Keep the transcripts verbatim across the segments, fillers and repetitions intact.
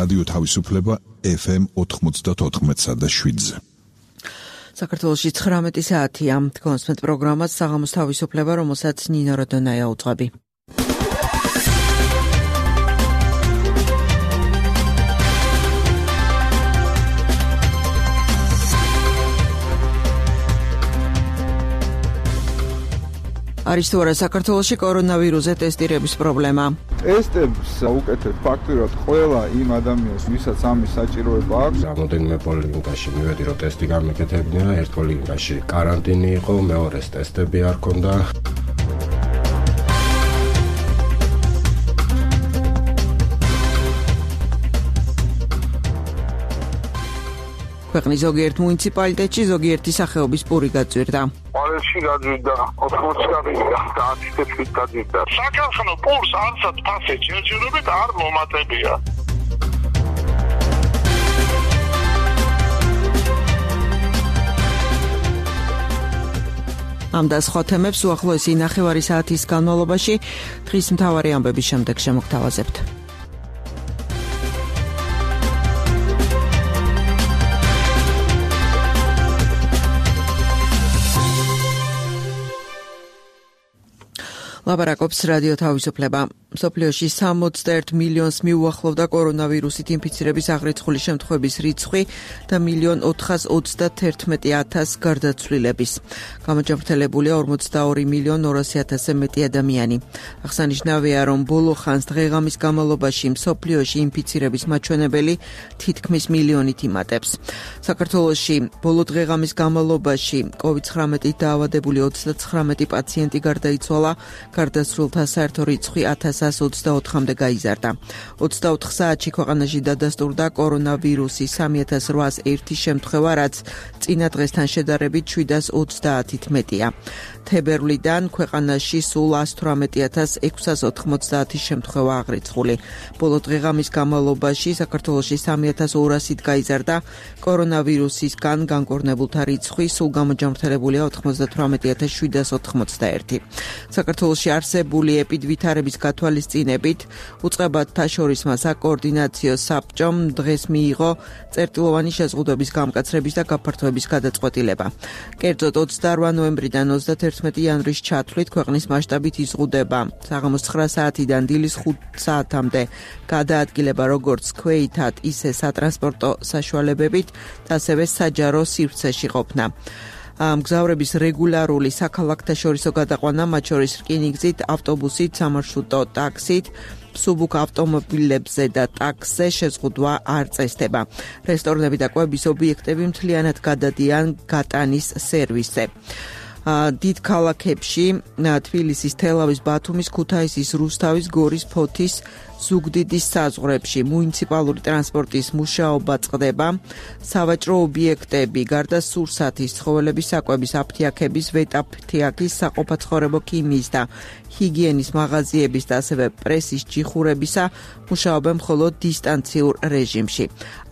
რადიო თავისუფლება ეფ ემ ოთხმოცდაოთხ და შვიდზე. საქართველოში ცხრამეტი საათია. კონსმეთ პროგრამას საღამოს თავისუფლება, რომელსაც ნინო როდონაია უძღვები. არის თუ არა საქართველოში კორონავირუსზე ტესტირების პრობლემა? ტესტებს უკეთებ ფაქტურად ყველა იმ ადამიანს, ვისაც ამის საჭიროება აქვს. რამოდენიმე პოლიკლინიკაში მივედი, რომ ტესტი გამეკეთებინა, ერთ პოლიკლინიკაში კარანტინი იყო, მეორეს ტესტები არ ქონდა. ქვეყნის ზოგიერთ მუნიციპალიტეტში ზოგიერთი სახეობის პური გაძვირდა. ვალენში გაძვირდა, ოთხმოცი გაძვირდა, ათი თეთრით გაძვირდა. საქართველოს პურს არცად ფასე ჯერჯერობით არ მომატებია. ამ და სხვა თემებს უახლოესი ნახევარი საათის განმავლობაში დღის მთავარი ამბების შემდეგ შემოგთავაზებთ. ლაპარაკობს რადიო თავისუფლება. მსოფლიოში სამოცდაერთ მილიონს მიუახლოვდა კორონავირუსით ინფიცირების აღრიცხული შემთხვევების რიცხვი და მილიონ ოთხას ოცდათერთმეტი ათას გარდაცვლილების. გამოჯანმრთელებულია ორმოცდაორი მილიონ ორასი ათასზე მეტი ადამიანი. აღსანიშნავია, რომ ბოლო ხანს დღე-ღამის განმავლობაში მსოფლიოში ინფიცირების მაჩვენებელი თითქმის მილიონით იმატებს. საქართველოში ბოლო დღე-ღამის განმავლობაში კოვიდ ცხრამეტით დაავადებული ოცდაცხრამეტი პაციენტი გარდაიცვალა. გარდაცვლილთა საერთო რიცხვი ათას ოცდაოთხამდე გაიზარდა. ოცდაოთხ საათში ქვეყანაში დადასტურდა კორონავირუსის სამი ათას რვაას ერთი შემთხვევა, რაც წინა დღესთან შედარებით შვიდას ოცდაათით მეტია. თებერვლიდან ქვეყანაში სულ ას თვრამეტი ათას ექვსას ოთხმოცდაათი შემთხვევა აღრიცხული. ბოლო დღე-ღამის განმავლობაში საქართველოში სამი ათას ორასით გაიზარდა კორონავირუსისგან განკორნებულთა რიცხვი, სულ გამოჯანმრთელებულია ოთხმოცდათვრამეტი ათას შვიდას ოთხმოცდაერთი. საქართველოში არსებული ეპიდვითარების გათვალისწინებით უწყებათა შორისმა საკოორდინაციო საბჭომ დღეს მიიღო წერტილოვანი შეზღუდვების გამკაცრების და გაფართოების გადაწყვეტილება. კერძოდ ოცდარვა ნოემბრიდან ოცდათერთმეტი იანვრის ჩათვლით ქვეყნის მასშტაბით იზღუდება საღამოს ცხრა საათიდან დილის ხუთ საათამდე გადაადგილება როგორც ქვეითად, ისე სატრანსპორტო საშუალებებით, ასევე საჯარო სივრცეში ყოფნა. მგზავრების რეგულარული საქალაქთაშორისო გადაყვანა, მათ შორის რკინიგზით, ავტობუსით, სამარშრუტო ტაქსით, სუბუქ ავტომობილებზე და ტაქსზე შეზღუდვა არ წესდება. რესტორნები და კვების ობიექტები მთლიანად გადადიან გატანის სერვისზე. დიდ ქალაქებში თბილისის, თელავის, ბათუმის, ქუთაისის, რუსთავის, გორის, ფოთის, ზუგდიდის საზღვრებში მუნიციპალური ტრანსპორტის მუშაობა წყდება. სავაჭრო ობიექტები, გარდა სურსათის, ცხოველების საკვების, აფთიაქების, ვეტაფთიაქის, საყოფაცხოვრებო ქიმიის და ჰიგიენის მაღაზიების და ასევე პრესის ჯიხურებისა მუშაობენ მხოლოდ დისტანციურ რეჟიმში.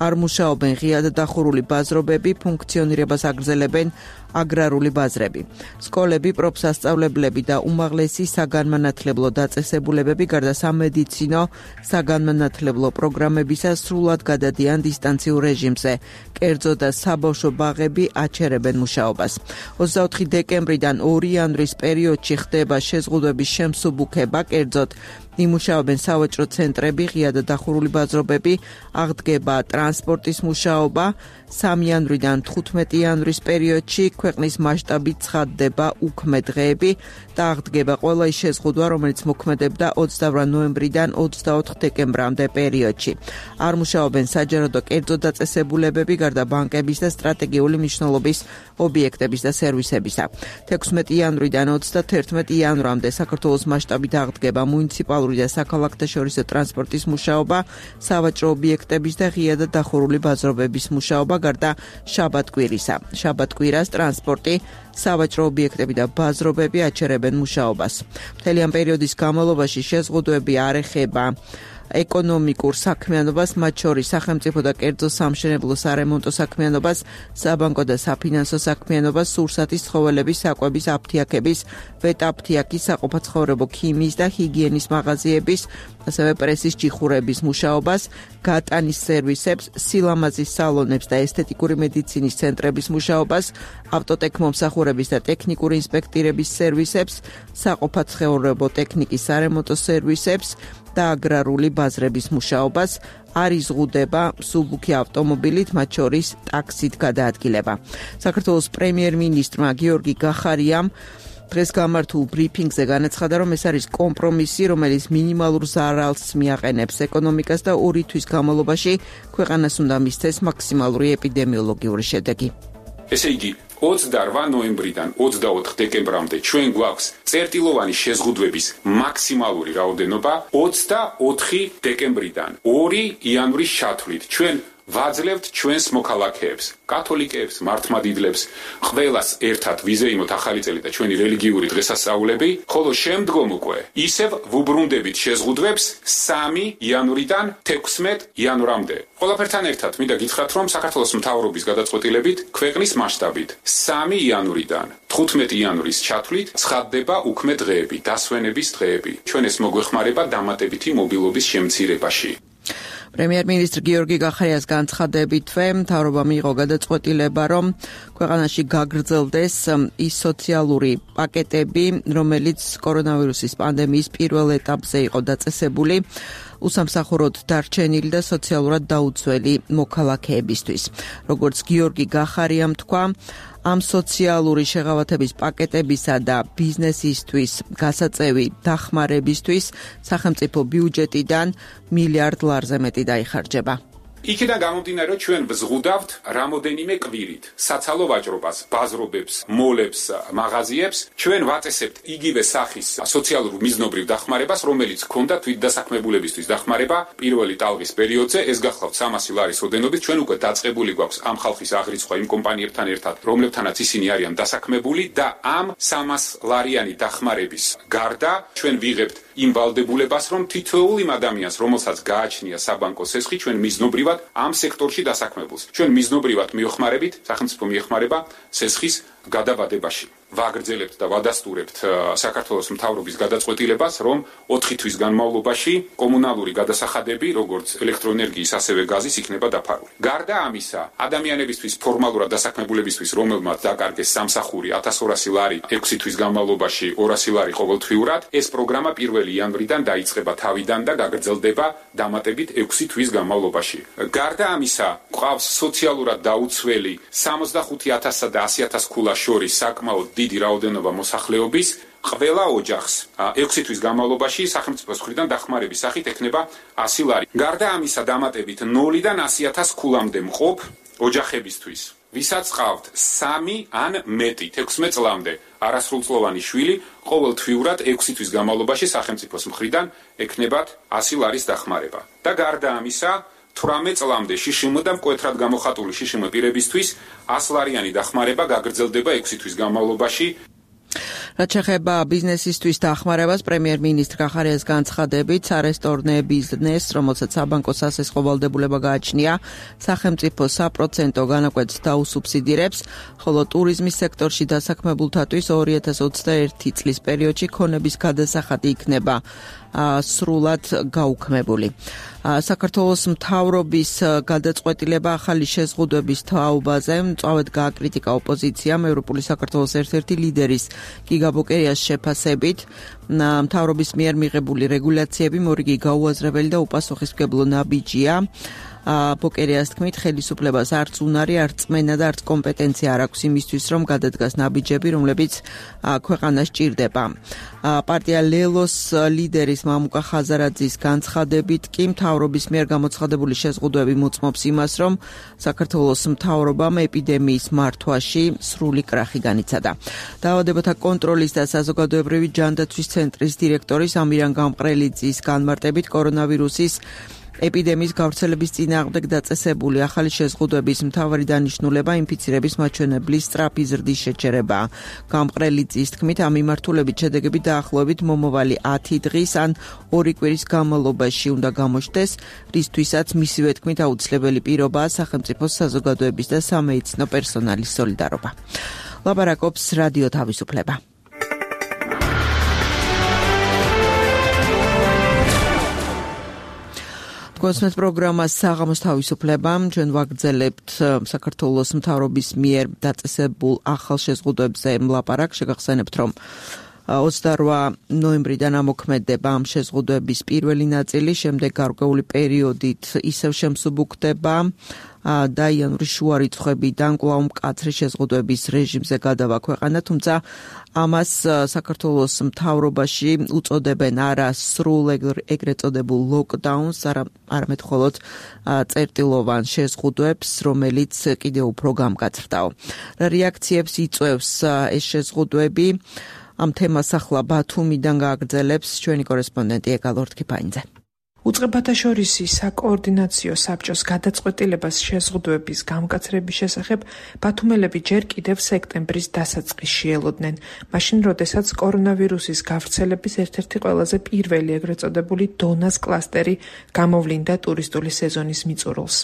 არ მუშაობენ ღიად დახურული ბაზრობები, ფუნქციონირებას აგრძელებენ აგრარული ბაზრები. სკოლები, პროფსასწავლებლები და უმაღლესი საგანმანათლებლო დაწესებულებები გარდა სამედიცინო საგანმანათლებლო პროგრამებისა სრულად გადადიან დისტანციურ რეჟიმზე. კერძო და საბავშვო ბაღები აჩერებენ მუშაობას. ოცდაოთხი დეკემბრიდან ორი იანვრის პერიოდში ხდება შეზღუდვების შემსუბუქება, კერძოდ იმუშაობენ სავაჭრო ცენტრები, ღიად დახურული ბაზრობები, აღდგება ტრანსპორტის მუშაობა. სამი იანვრიდან თხუთმეტი იანვრის პერიოდში ქვეყნის მასშტაბით ცხადდება უქმე დღეები და აღდგება ყველა ის შეზღუდვა, რომელიც მოქმედებდა ოცდავრა ნოემბრიდან ოცდაოთხ დეკემბრამდე პერიოდში. არ მუშაობენ საჯარო და კერძო დაწესებულებები, გარდა ბანკების და სტრატეგიული მნიშვნელობის ობიექტების და სერვისებისა. თექვსმეტი იანვრიდან ოცდათერთმეტი იანვრამდე საქართველოს მასშტაბით აღდგება მუნიციპალური და საქალაქთაშორისო ტრანსპორტის მუშაობა, სავაჭრო ობიექტების და ღიად დახურული ბაზრობების მუშაობა, გარდა შაბათ-კვირისა. შაბათ-კვირას ტრანსპორტი, სავაჭრო ობიექტები და ბაზრობები აჩერებენ მუშაობას. მთელი ამ პერიოდის განმავლობაში შეზღუდვები არ ეხება ეკონომიკურ საქმიანობას, მათ შორის სახელმწიფო და კერძო სამშენებლო სარემონტო საქმიანობას, საბანკო და საფინანსო საქმიანობას, სურსათის ცხოველების საკვების აფთიაქების, ვეტაფთიაქის, საყოფაცხოვრებო ქიმიის და ჰიგიენის მაღაზიების, ასევე პრესის ჭიხურების მუშაობას, გატანის სერვისებს, სილამაზის სალონებს და ესთეტიკური მედიცინის ცენტრების მუშაობას, ავტოტექმომსახურების და ტექნიკური ინსპექტირების სერვისებს, საყოფაცხოვრებო ტექნიკის სარემონტო სერვისებს და აგრარული ბაზრების მუშაობას, არ იზღუდება მსუბუქი ავტომობილით, მათ შორის ტაქსით გადაადგილება. საქართველოს პრემიერ-მინისტრმა გიორგი გახარიამ დღეს გამართულ ბრიფინგზე განაცხადა, რომ ეს არის კომპრომისი, რომელიც მინიმალურ ზარალს მიაყენებს ეკონომიკას და ორი თვის განმავლობაში ქვეყანას უნდა მისცეს მაქსიმალური ეპიდემიოლოგიური შედეგი. ესე იგი, ოცდაორ ნოემბრიდან ოცდაოთხ დეკემბრამდე ჩვენ გვაქვს წერტილოვანი შეზღუდვების მაქსიმალური რაოდენობა, ოცდაოთხი დეკემბრიდან ორი იანვრის ჩათვლით ჩვენ ვაძლევთ ჩვენს მოქალაქეებს, კათოლიკეებს, მართლმადიდლებს, ყველას ერთად ვიზეიმოთ ახალი წელი და ჩვენი რელიგიური დღესასწაულები, ხოლო შემდგომ უკვე ისევ ვუბრუნდებით შეზღუდვებს სამი იანვრიდან თექვსმეტ იანვრამდე. ყველაფერთან ერთად მინდა გითხრათ, რომ საქართველოს მთავრობის გადაწყვეტილებით ქვეყნის მასშტაბით სამი იანვრიდან თხუთმეტი იანვრის ჩათვლით ცხადდება უქმე დღეები, დასვენების დღეები. ჩვენ ეს მოგვეხმარება დამატებითი მობილობის შემცირებაში. პრემიერ-მინისტრ გიორგი გახარიას განცხადებითვე მთავრობამ მიიღო გადაწყვეტილება, რომ ქვეყანაში გაგრძელდეს ის სოციალური პაკეტები, რომელიც კორონავირუსის პანდემიის პირველ ეტაპზე იყო დაწესებული, უსამსახუროდ დარჩენილი და სოციალურად დაუცველი მოქალაქეებისთვის. როგორც გიორგი გახარიამ თქვა, ამ სოციალური შეღავათების პაკეტებისა და ბიზნესისთვის გასაწევი დახმარებისთვის სახელმწიფო ბიუჯეტიდან მილიარდ ლარზე მეტი დაიხარჯება. იქიდან გამომდინარე, რომ ჩვენ ვზღუდავთ რამოდენიმე კვირით საცალო ვაჭრობას, ბაზრობებს, მოლებს, მაღაზიებს, ჩვენ ვაწესებთ იგივე სახის სოციალურ მიზნობრივ დახმარებას, რომელიც ჰქონდა თვითდასაქმებულებისთვის დახმარება პირველი ტალღის პერიოდზე, ეს გახლავთ სამასი ლარის ოდენობით, ჩვენ უკვე დაწყებული გვაქვს ამ ხალხის აღრიცხვა იმ კომპანიებთან ერთად, რომლებთანაც ისინი არიან დასაქმებული და ამ სამას ლარიანი დახმარების გარდა ჩვენ ვიღებთ იმ ვალდებულებას, რომ თითოეულ იმ ადამიანს, რომელსაც გააჩნია საბანკო სესხი, ჩვენ მიზნობრივად ამ სექტორში დასაქმებულს. ჩვენ მიზნობრივად მივეხმარებით, სახელმწიფო მიეხმარება სესხის გადაბადებაში. ვაგრძელებთ და ვადასტურებთ საქართველოს მთავრობის გადაწყვეტილებას, რომ ოთხი თვის განმავლობაში კომუნალური გადასახადები, როგორც ელექტროენერგიის, ასევე გაზის იქნება დაფარული. გარდა ამისა, ადამიანებისთვის ფორმალურად დასაქმებულებისთვის, რომელმაც დაკარგეს სამსახური ათას ორასი ლარი ექვსი თვის განმავლობაში ორასი ლარი ყოველთვიურად, ეს პროგრამა პირველი იანვრიდან დაიწყება თავიდან და გაგრძელდება დამატებით ექვსი თვის განმავლობაში. გარდა ამისა, ყავს სოციალურად დაუცველი სამოცდახუთი ათასსა და ასი ათას ქულას შორის საკმაოდ დიდი რაოდენობა მოსახლეობის, ყველა ოჯახს ექვსი თვის განმავლობაში სახელმწიფოს მხრიდან დახმარების სახით ექნება ასი ლარი. გარდა ამისა, დამატებით ნულიდან ასი ათას ქულამდე მყოფ ოჯახებისთვის, ვისაც ყავთ სამი ან მეტი თექვსმეტ წლამდე არასრულწლოვანი შვილი, ყოველთვიურად ექვსი თვის განმავლობაში სახელმწიფოს მხრიდან ექნებათ ასი ლარის დახმარება. და გარდა ამისა, თვრამეტ წლამდე შშმ და მკვეთრად გამოხატული შშმ პირებისთვის ასი ლარიანი დახმარება გაგრძელდება ექვსი თვის განმავლობაში. რაც შეეხება ბიზნესისთვის დახმარებას, პრემიერ-მინისტრ გახარიას განცხადებით, სარესტორნე ბიზნესს, რომელსაც საბანკო სასესხო ვალდებულება გააჩნია, სახელმწიფო საპროცენტო განაკვეთს დაუსუბსიდირებს, ხოლო ტურიზმის სექტორში დასაქმებულთათვის ორი ათას ოცდაერთი წლის პერიოდში ქონების გადასახადი იქნება სრულად გაუქმებული. საქართველოს მთავრობის გადაწყვეტილება ახალი შეზღუდვების თაობაზე მწვავედ გააკრიტიკა ოპოზიციამ ევროპული საქართველოს ერთ-ერთი ლიდერის გიგა ბოკერიას შეფასებით. მთავრობის მიერ მიღებული რეგულაციები მორიგი გაუაზრებელი და უპასუხისმგებლო ნაბიჯია. ბოკერიას თქმით, ხელისუფლებას არც უნარი, არც წმენა და არც კომპეტენცია არ აქვს იმისთვის, რომ გადადგას ნაბიჯები, რომლებიც ქვეყანას ჭირდება. პარტია ლელოს ლიდერის მამუკა ხაზარაძის განცხადებით კი მთავრობის მიერ გამოცხადებული შეზღუდვები მოწმობს იმას, რომ საქართველოს მთავრობამ ეპიდემიის მართვაში სრული კრახი განიცადა. დაავადებათა კონტროლის და საზოგადოებრივი ჯანდაცვის ცენტრის დირექტორის ამირან გამყრელიძის განმარტებით კორონავირუსის ეპიდემიის გავრცელების წინააღმდეგ დაწესებული ახალი შეზღუდვების მთავარი დანიშნულება ინფიცირების მაჩვენებლის სწრაფი ზრდის შეჩერებაა. გამყრელი წის თქმით, ამ მიმართულებით შედეგები დაახლოებით მომავალი ათი დღის ან ორი კვირის განმავლობაში უნდა გამოჩნდეს, რისთვისაც მისივე თქმით აუცილებელი პირობაა სახელმწიფოს საზოგადოების და სამედიცინო პერსონალის სოლიდარობა. ლაპარაკობს რადიო თავისუფლება. კონსმეთ პროგრამა საღამოს თავისუფლება. ჩვენ ვაგრძელებთ საქართველოს მთავრობის მიერ დაწესებულ ახალ შეზღუდვებზე ლაპარაკს. შეგახსენებთ, რომ ოცდაორ ნოემბრიდან ამოქმედება ამ შეზღუდვების პირველი ნაწილი, შემდეგ გარკვეული პერიოდით ისევ შემსუბუქდება და იანვრის შუა რიცხვებიდან კვლავ მკაცრი შეზღუდვების რეჟიმზე გადავა ქვეყანა, თუმცა ამას საქართველოს მთავრობაში უწოდებენ არა სრულ ეგრეთ წოდებულ ლოკდაუნს, არამედ მხოლოდ წერტილოვან შეზღუდვებს, რომელიც კიდევ უფრო გამკაცრდაო. რეაქციებს იწვევს ეს შეზღუდვები. ამ თემას ახლა ბათუმიდან გააგრძელებს ჩვენი კორესპონდენტი ეკალორდ კიფაინძე. უწყებათა შორისი საკოორდინაციო საბჭოს გადაწყვეტილებას შეზღუდვების გამკაცრების შესახებ ბათუმელები ჯერ კიდევ სექტემბრის დასაწყისში ელოდნენ, მაშინ როდესაც კორონავირუსის გავრცელების ერთ-ერთი ყველაზე პირველი ეგრეთ წოდებული დონას კლასტერი გამოვლინდა ტურისტული სეზონის მიწურულს.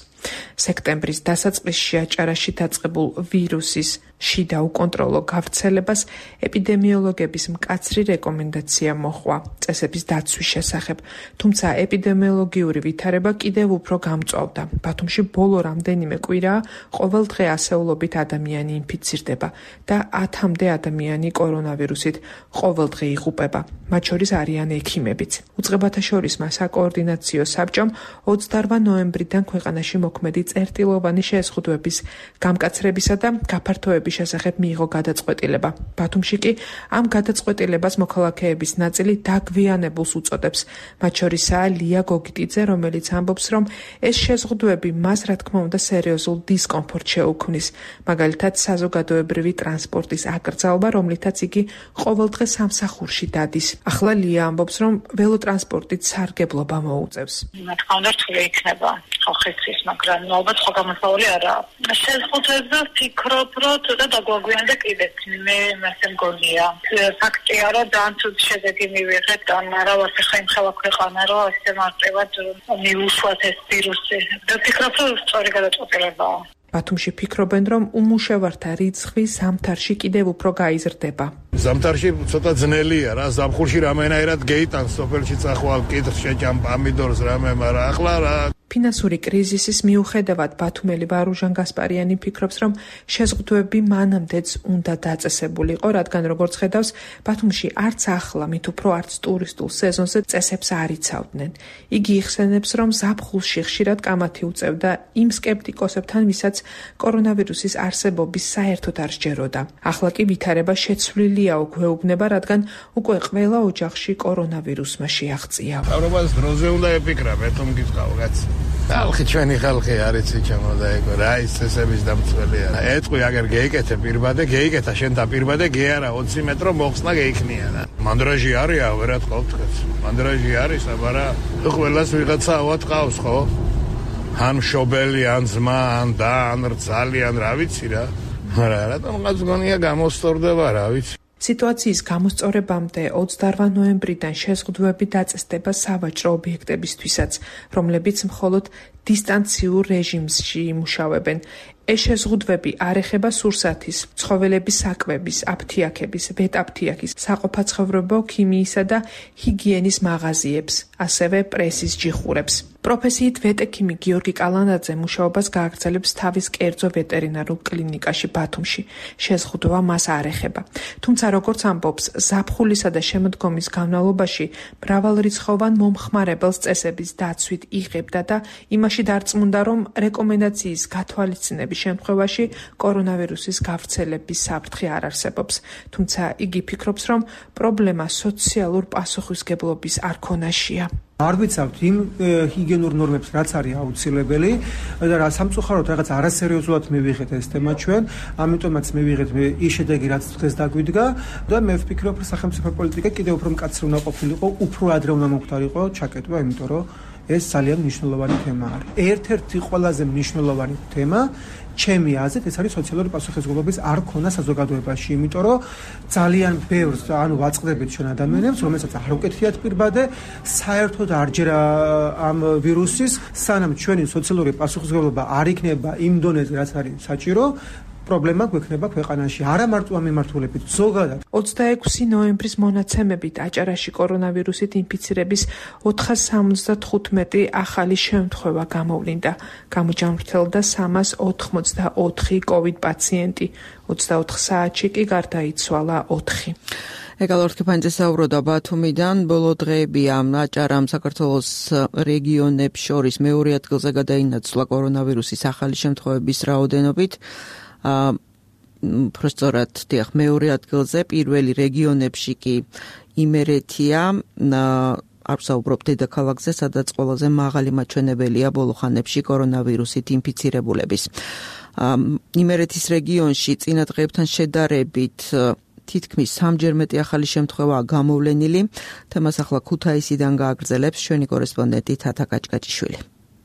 სექტემბრის დასაწყისში აჭარაში დაწყებულ ვირუსის შიდა უკონტროლო გავრცელებას ეპიდემიოლოგების მკაცრი რეკომენდაცია მოჰყვა წესების დაცვის შესახებ, თუმცა ეპიდემიოლოგიური ვითარება კიდევ უფრო გამწვავდა. ბათუმში ბოლო რამდენიმე კვირაა ყოველ დღე ასეულობით ადამიანი ინფიცირდება და ათამდე ადამიანი კორონავირუსით ყოველ დღე იღუპება, მათ შორის არიან ექიმებიც. უწყებათა შორისმა საკოორდინაციო საბჭომ ოცდაორ ნოემბრიდან ქვეყანაში მოქმედი წერტილოვანი შეზღუდვების გამკაცრებისა და გაფართოების შესახებ მიიღო გადაწყვეტილება. ბათუმში კი ამ გადაწყვეტილებას მოქალაქეების ნაწილი დაგვიანებულს უწოდებს. მათ შორისაა ლია გოგიტიძე, რომელიც ამბობს, რომ ეს შეზღუდვები მას რა თქმა უნდა სერიოზულ დისკომფორტს შეუქმნის, მაგალითად საზოგადოებრივი ტრანსპორტის აკრძალვა, რომლითაც იგი ყოველდღე სამსახურში დადის. ახლა ლია ამბობს, რომ ველოტრანსპორტით სარგებლობა მოუწევს. რა თქმა უნდა რთული იქნება ხალხისთვის, მაგრამ ალბათ ხო გამოსავალი არაა. შეზღუდვებზე ვფიქრობ, რომ და დაგვაგვიანდა კიდეც მე მასე მგონია. ფაქტია, რომ ძალიან ცუდი შედეგი მივიღეთ და არა ვასე ხაიმ ხელა ქვეყანა, რომ ასე მარტივად მიუშვათ ეს ვირუსი. და ვფიქრობ, რომ სწორი გადაწყვეტილებაა. ბათუმში ფიქრობენ, რომ უმუშევართა რიცხვი ზამთარში კიდევ უფრო გაიზრდება. ზამთარში ცოტა ძნელია რა, ზამთარში რამენაირად გეიტანს სოფელში წახვალ კითხს შეჭამ პამიდორს რამე, მაგრამ ახლა რა ფინანსური კრიზისის მიუხედავად ბათუმელი ვარუჟან გასპარიანი ფიქრობს, რომ შეზღუდვები მანამდეც უნდა დაწესებულიყო, რადგან როგორც ხედავს, ბათუმში არც ახლა, მით უფრო არც ტურისტულ სეზონზე წესებს არ იცავდნენ. იგი იხსენებს, რომ ზაფხულში ხშირად კამათი უწევდა იმ სკეპტიკოსებთან, ვისაც კორონავირუსის არსებობის საერთოდ არ სჯეროდა. ახლა კი ვითარება შეცვლილიაო გვეუბნება, რადგან უკვე ყველა ოჯახში კორონავირუსმა შეაღწია. თავრობას დროზე უნდა ეფიქრა, მე თომ გიწყავ კაც. ხალხი ჩვენი ხალხი არის იცემო და ეგო რა ის წესების დამცველია. ეთყვი აგერ გეიკეთე პირბადე, გეიკეთა შენ და პირბადე ге არა ოცი მეტრო მოხსნა გეიქნია და. მანდრაჟი არია, ვერა თქო თქვენ. მანდრაჟი არის, აბარა ყველას ვიღაცა ავად ყავს ხო? ან მშობელი, ან ძმა, ან და, ან რძალი, ან რა ვიცი რა. მაგრამ რატომღაც გონია გამოსწორდება რა ვიცი. სიტუაციის გამოსწორებამდე ოცდაორ ნოემბრიდან შეზღუდვები დაწესდება სავაჭრო ობიექტებისთვისაც, რომლებიც მხოლოდ დისტანციურ რეჟიმში იმუშავებენ. ეს შეზღუდვები არ ეხება სურსათის, ცხოველების საკვების, აფთიაქების, ვეტაფთიაქის, საყოფაცხოვრებო ქიმიისა და ჰიგიენის მაღაზიებს, ასევე პრესის ჯიხურებს. პროფესიით ვეტექიმი გიორგი კალანაძე მუშაობას გააგრძელებს თავის კერძო ვეტერინარულ კლინიკაში ბათუმში. შეზღუდვა მას არ ეხება. თუმცა როგორც ამბობს, ზაფხულისა და შემოდგომის განმავლობაში მრავალრიცხოვან მომხმარებელს წესების დაცვით იღებდა და იმაში დარწმუნდა, რომ რეკომენდაციის გათვალისწინების შემთხვევაში კორონავირუსის გავრცელების საფრთხე არ არსებობს. თუმცა იგი ფიქრობს, რომ პრობლემა სოციალურ პასუხისგებლობის არქონაშია. არ ვიცავთ იმ ჰიგიენურ ნორმებს, რაც არის აუცილებელი და რა სამწუხაროდ რაღაც არასერიოზულად მივიღეთ ეს თემა ჩვენ, ამიტომაც მივიღეთ ის შედეგი, რაც დღეს დაგვიდგა და მე ვფიქრობ, რომ სახელმწიფო პოლიტიკა კიდევ უფრო მკაცრი უნდა ყოფილიყო, უფრო ადრე უნდა მოხდარიყო ჩაკეტვა, იმიტომ რომ ეს ძალიან მნიშვნელოვანი თემა არის. ერთ-ერთი ყველაზე მნიშვნელოვანი თემა ჩემი აზრით ეს არის სოციალური პასუხისმგებლობის არ ქონა საზოგადოებაში, იმიტომ რომ ძალიან ბევრს ანუ ვაწყდებით ჩვენ ადამიანებს, რომელსაც არ უკეთიათ პირბადე, საერთოდ არ ჯერა ამ ვირუსის, სანამ ჩვენი სოციალური პასუხისმგებლობა არ იქნება იმ დონეზე, რაც არის საჭირო, პრობლემა გვექნება ქვეყანაში, არა მარტო ამ მიმართულებით, ზოგადად. ოცდაექვსი ნოემბრის მონაცემებით აჭარაში კორონავირუსით ინფიცირების ოთხას სამოცდათხუთმეტი ახალი შემთხვევა გამოვლინდა. გამოჯამრთელდა სამას ოთხმოცდაოთხი კოვიდ პაციენტი, ოცდაოთხ საათში კი გარდაიცვალა ოთხი. ეკალორთქიფანიძე საუბრობდა ბათუმიდან. ბოლო დღეებია აჭარამ საქართველოს რეგიონებს შორის მეორე ადგილზე გადაინაცვლა კორონავირუსის ახალი შემთხვევების რაოდენობით. პროსტორად დიახ მეორე ადგილზე, პირველი რეგიონებში კი იმერეთია, არ ვსაუბრობ დედაქალაქზე, სადაც ყველაზე მაღალი მაჩვენებელია ბოლო ხანებში კორონავირუსით ინფიცირებულების. იმერეთის რეგიონში წინა დღეებთან შედარებით თითქმის სამჯერ მეტი ახალი შემთხვევაა გამოვლენილი. თემას ახლა ქუთაისიდან გააგრძელებს ჩვენი კორესპონდენტი თათა კაჭკაჭიშვილი.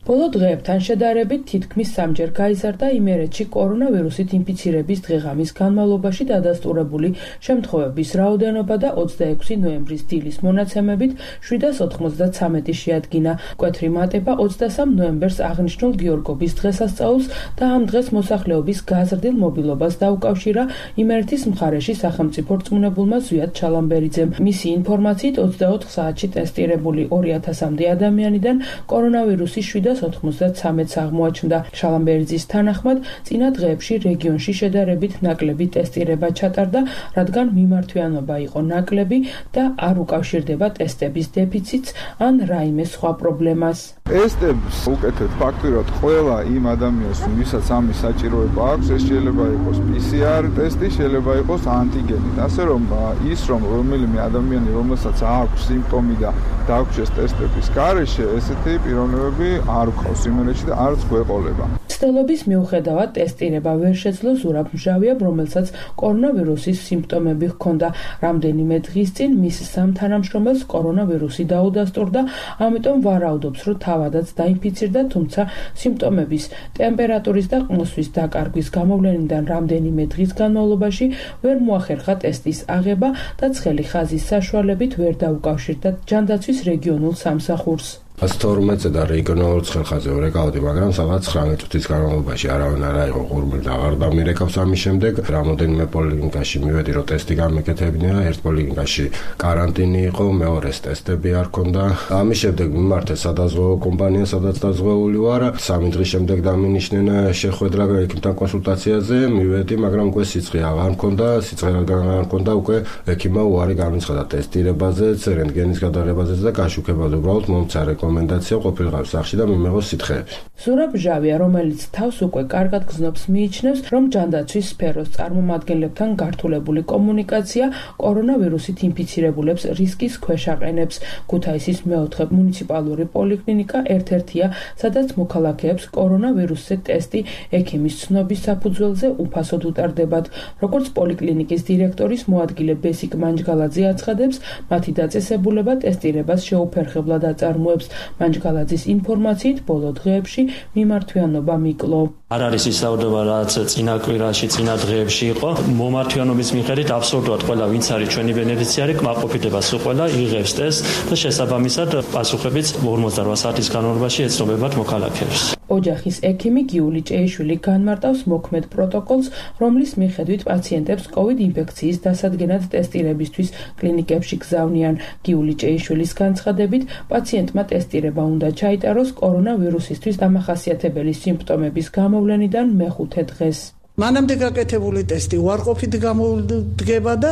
ბოლო დღეებთან შედარებით თითქმის სამჯერ გაიზარდა იმერეთში კორონავირუსით ინფიცირების დღე-ღამის განმავლობაში დადასტურებული შემთხვევების რაოდენობა და ოცდაექვსი ნოემბრის დილის მონაცემებით შვიდას ოთხმოცდაცამეტი შეადგინა. მკვეთრი მატება ოცდასამ ნოემბერს აღნიშნულ გიორგობის დღესასწაულს და ამ დღეს მოსახლეობის გაზრდილ მობილობას დაუკავშირა იმერეთის მხარეში სახელმწიფო რწმუნებულმა ზვიად ჩალამბერიძემ. მისი ინფორმაციით ოცდაოთხ საათში ტესტირებული ორი ათასამდე ადამიანიდან კორონავირუსის შვიდას ოთხმოცდაცამეტს აღმოაჩნდა. ჩალამბერიძის თანახმად, წინა დღეებში რეგიონში შედარებით ნაკლები ტესტირება ჩატარდა, რადგან მიმართვიანობა იყო ნაკლები და არ უკავშირდება ტესტების დეფიციტს ან რაიმე სხვა პრობლემას. ტესტებს უკეთეთ ფაქტურად ყველა იმ ადამიანს, ვისაც ამის საჭიროება აქვს, ეს შეიძლება იყოს პი სი არ ტესტი, შეიძლება იყოს ანტიგენი. ასე რომ ის რომ რომელიმე ადამიანი, რომელსაც აქვს სიმპტომი და დაგვჭეს ტესტების გარეშე, ესეთი პიროვნებები არ გვყავს იმერეთში და არც გვეყოლება. მცდელობის მიუხედავად ტესტირება ვერ შეძლო ზურაბ მჟავიამ, რომელსაც კორონავირუსის სიმპტომები ჰქონდა. რამდენიმე დღის წინ მის სამ თანამშრომელს კორონავირუსი დაუდასტურდა, ამიტომ ვარაუდობს, რომ თავადაც დაინფიცირდა, თუმცა სიმპტომების, ტემპერატურის და ყნოსვის დაკარგვის გამოვლენიდან რამდენიმე დღის განმავლობაში ვერ მოახერხა ტესტის აღება და ცხელი ხაზის საშუალებით ვერ დაუკავშირდა ჯანდაცვის რეგიონულ სამსახურს. ას თორმეტზე და რეგიონულ ცხელხაზე ვერეკავდი, მაგრამ სადღაც ცხრამეტ წუთის განმავლობაში არავინ არ აიღო ღურმილი და აღარ დამირეკავს. ამის შემდეგ რამოდენიმე პოლიკლინიკაში მივედი, რომ ტესტი გამეკეთებინია. ერთ პოლიკლინიკაში კარანტინი იყო, მეორეს ტესტები არ ქონდა. ამის შემდეგ მიმართე სადაზღვევო კომპანია, სადაც დაზღვეული ვარ. სამი დღის შემდეგ დამინიშნენ შეხვედრა ექიმთან კონსულტაციაზე. მივედი, მაგრამ უკვე სიცხე აღარ მქონდა, სიცხე არ მქონდა, უკვე ექიმმა უარი განაცხადა ტესტირებაზეც, რენტგენის გადაღებაზეც და გაშუქებაზე უბრალოდ მომცა რეკომენდაცია ყოფილიყავ სახში და მიმეღო სითხეები. ზურაბ ჟავია, რომელიც თავს უკვე კარგად გზნობს, მიიჩნევს, რომ ჯანდაცვის სფეროს წარმომადგენლებთან გართულებული კომუნიკაცია კორონავირუსით ინფიცირებულებს რისკის ქვეშ აყენებს. ქუთაისის მეოთხე მუნიციპალური პოლიკლინიკა ერთ-ერთია, სადაც მოქალაქეებს კორონავირუსზე ტესტი ექიმის ცნობის საფუძველზე უფასოდ უტარდებათ. როგორც პოლიკლინიკის დირექტორის მოადგილე ბესიკ მანჯგალაძე აცხადებს, მათი დაწესებულება ტესტირებას შეუფერხებლად აწარმოებს. მანჯგალაძის ინფორმაციით ბოლო დღეებში მიმართვიანობა მიკლო. არ არის ის საუბარი, რაც წინა კვირაში, წინა დღეებში იყო. მომართვიანობის მიხედვით აბსოლუტურად ყველა, ვინც არის ჩვენი ბენეფიციარი, კმაყოფილდება სულ ყველა იღებს ტესტს და შესაბამისად პასუხებიც ორმოცდაოთხ საათის განმავლობაში ეცნობებათ მოქალაქეებს. ოჯახის ექიმი გიული ჭეიშვილი განმარტავს მოქმედ პროტოკოლს, რომლის მიხედვით პაციენტებს კოვიდ ინფექციის დასადგენად ტესტირებისთვის კლინიკებში გზავნიან. გიული ჭეიშვილის განცხადებით, პაციენტმა ტესტირება უნდა ჩაიტაროს კორონავირუსისთვის დამახასიათებელი სიმპტომების გამოვლენიდან მეხუთე დღეს. მანამდე გაკეთებული ტესტი უარყოფით გამოდგება და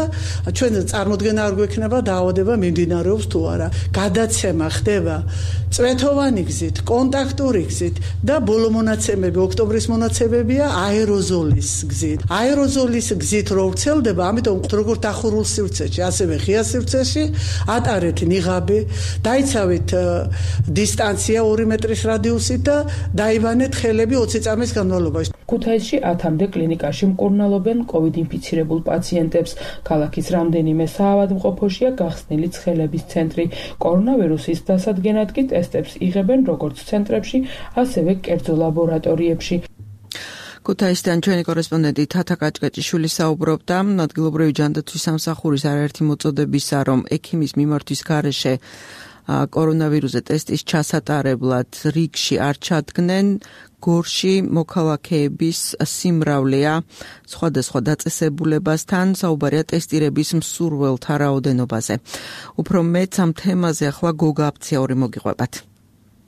ჩვენ წარმოდგენა არ გვექნება დაავადება მიმდინარეობს თუ არა. გადაცემა ხდება წვეთოვანი გზით, კონტაქტური გზით და ბოლო მონაცემები, ოქტომბრის მონაცემებია აეროზოლის გზით. აეროზოლის გზით რო ვრცელდება, ამიტომ როგორც დახურულ სივრცეში, ასევე ღია სივრცეში ატარეთ ნიღაბი, დაიცავით დისტანცია ორი მეტრის რადიუსით და დაიბანეთ ხელები ოცი წამის განმავლობაში. ქუთაისში ათამდე კლინიკაში მკურნალობენ კოვიდ ინფიცირებულ პაციენტებს. ქალაქის რამდენიმე საავადმყოფოშია გახსნილი ცხელების ცენტრი. კორონავირუსის დასადგენად კი ტესტებს იღებენ როგორც ცენტრებში, ასევე კერძო ლაბორატორიებში. ქუთაისიდან ჩვენი კორესპონდენტი თათა კაჭკაჭიშვილი საუბრობდა ადგილობრივი ჯანდაცვის სამსახურის არაერთი მოწოდებისა, რომ ექიმის მიმართვის გარეშე კორონავირუსზე ტესტის ჩასატარებლად რიგში არ ჩადგნენ. გორში მოქალაქეების სიმრავლეა სხვადასხვა დაწესებულებასთან, საუბარია ტესტირების მსურველთა რაოდენობაზე. უფრო მეც ამ თემაზე ახლა გოგა აფციური მოგიყვებათ.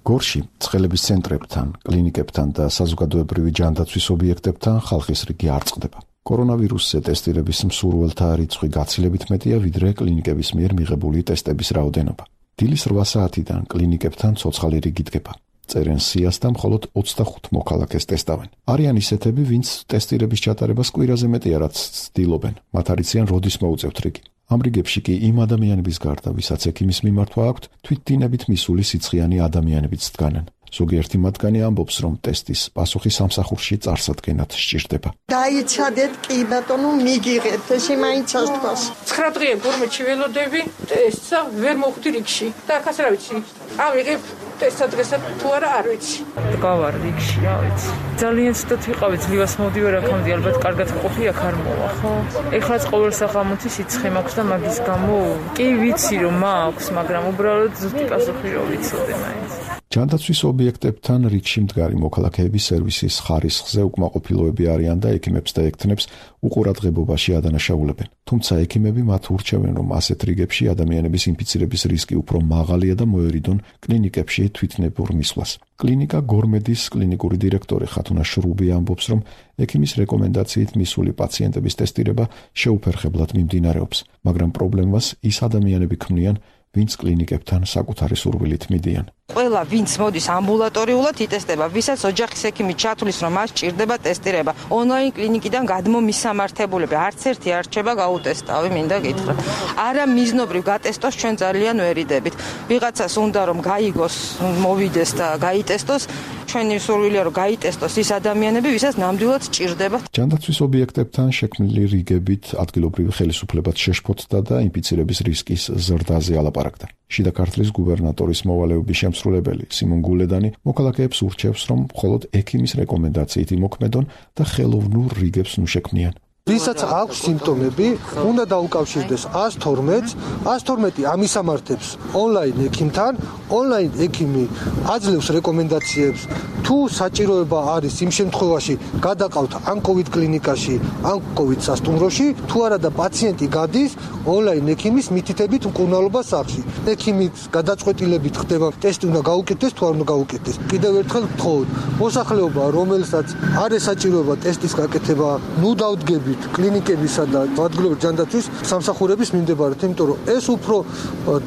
გორში ცხელების ცენტრებთან, კლინიკებთან და საზოგადოებრივი ჯანდაცვის ობიექტებთან ხალხის რიგი არ წყდება. კორონავირუსზე ტესტირების მსურველთა რიცხვი გაცილებით მეტია, ვიდრე კლინიკების მიერ მიღებული ტესტების რაოდენობა. დილის რვა საათიდან კლინიკებთან ცოცხალი რიგი დგება. წერენ სიას და მხოლოდ ოცდახუთ მოქალაქეს ტესტავენ. არიან ისეთები, ვინც ტესტირების ჩატარებას კვირაზე მეტია რაც ცდილობენ. მათ არიციან როდის მოუწევთ რიგი. ამ რიგებში კი იმ ადამიანების გარდა, ვისაც ექიმის მიმართვა აქვთ, თვითდინებით მისული სიცხიანი ადამიანებიც დგანან. ზოგიერთი მათგანი ამბობს, რომ ტესტის პასუხი სამსახურში წარსადგენად სჭირდება. დაიცადეთ კი ბატონო, მიგიღეთ, ესე მაინც ასთქოს. ცხრა დღე გორმეთში ველოდები, ტესტსა ვერ მოვხვდი რიგში. და ახაც რა ვიცი, ავიღებ ტესტსა დღესაც თუ არა არ ვიცი. გავარ რიგში, რა ვიცი. ძალიან ცუდად ვიყავი, ძლივას მოვდივარ აქამდე, ალბათ კარგად ყოფი აქ არ მოვა, ხო? ეხლაც ყოველ სახამუთი სიცხე მაქვს და მაგის გამო კი ვიცი რომ მაქვს, მაგრამ უბრალოდ ზუსტი პასუხი რომ ვიცოდე მაინც. ჯანდაცვის ობიექტებთან რიგში მდგარი მოქალაქეების სერვისის ხარისხზე უკმაყოფილოები არიან და ექიმებს და ექთნებს უყურადღებობაში ადანაშაულებენ. თუმცა ექიმები მათ ურჩევენ, რომ ასეთ რიგებში ადამიანების ინფიცირების რისკი უფრო მაღალია და მოერიდონ კლინიკებში თვითნებურ მისვლას. კლინიკა გორმედის კლინიკური დირექტორი ხათუნა შრუბი ამბობს, რომ ექიმის რეკომენდაციით მისული პაციენტების ტესტირება შეუფერხებლად მიმდინარეობს, მაგრამ პრობლემას ის ადამიანები ქმნიან, ვინც კლინიკებთან საკუთარი სურვილით მიდიან. ყველა ვინც მოდის ამბულატორიულად იტესტება, ვისაც ოჯახის ექიმი ჩათვლის, რომ მას ჭირდება ტესტირება. ონლაინ კლინიკიდან გადმომისამართებულები არც ერთი არ რჩება გაუტესტავი, მინდა გითხრათ. არა მიზნობრივ გატესტოს ჩვენ ძალიან ვერიდებით. ვიღაცას უნდა რომ გაიგოს, მოვიდეს და გაიტესტოს. ჩვენი სურვილია რომ გაიტესტოს ის ადამიანები, ვისაც ნამდვილად ჭირდება. ჯანდაცვის ობიექტებთან შექმნილი რიგებით ადგილობრივი ხელისუფლებაც შეშფოთდა და ინფიცირების რისკის ზრდაზე ალაპარაკდა. შიდა ქართლის გუბერნატორის მოვალეობის შემსრულებელი სიმონ გულედანი მოქალაქეებს ურჩევს, რომ მხოლოდ ექიმის რეკომენდაციით იმოქმედონ და ხელოვნურ რიგებს ნუ შექმნიან. ვისაც აქვს სიმპტომები, უნდა დაუკავშირდეს ას თორმეტს, ას თორმეტი ამისამართებს ონლაინ ექიმთან, ონლაინ ექიმი აძლევს რეკომენდაციებს, თუ საჭიროება არის იმ შემთხვევაში გადაყავთ ან კოვიდ კლინიკაში, ან კოვიდ სასტუმროში, თუ არა და პაციენტი გადის ონლაინ ექიმის მითითებით მკურნალობას სახლში. ექიმის გადაწყვეტილებით ხდება ტესტი უნდა გაუკეთდეს თუ არ უნდა გაუკეთდეს. კიდევ ერთხელ ვთხოვთ, მოსახლეობა, რომელსაც არ ესაჭიროება ტესტის გაკეთება, ნუ დავდგებით კლინიკებისა და ადგილობრივი ჯანდაცვის სამსახურების მიმდებარედ, იმიტომ რომ ეს უფრო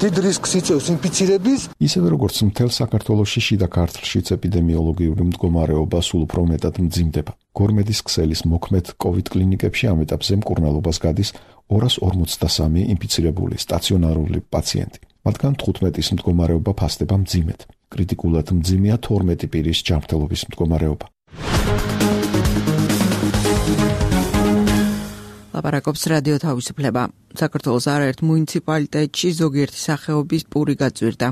დიდ რისკს იწევს ინფიცირების. ისევე როგორც მთელ საქართველოში შიდა ქართლშიც ეპიდემიოლოგიური მდგომარეობა სულ უფრო მეტად მძიმდება. გორმედის ქსელის მოქმედ კოვიდ კლინიკებში ამ ეტაპზე მკურნალობას გადის ორას ორმოცდასამი ინფიცირებული სტაციონარული პაციენტი. მათგან თხუთმეტის მდგომარეობა ფასდება მძიმედ. კრიტიკულად მძიმეა თორმეტი პირის ჯანმრთელობის მდგომარეობა. ლაპარაკობს რადიო თავისუფლება. საქართველოს არაერთ მუნიციპალიტეტში ზოგიერთი სახეობის პური გაძვირდა.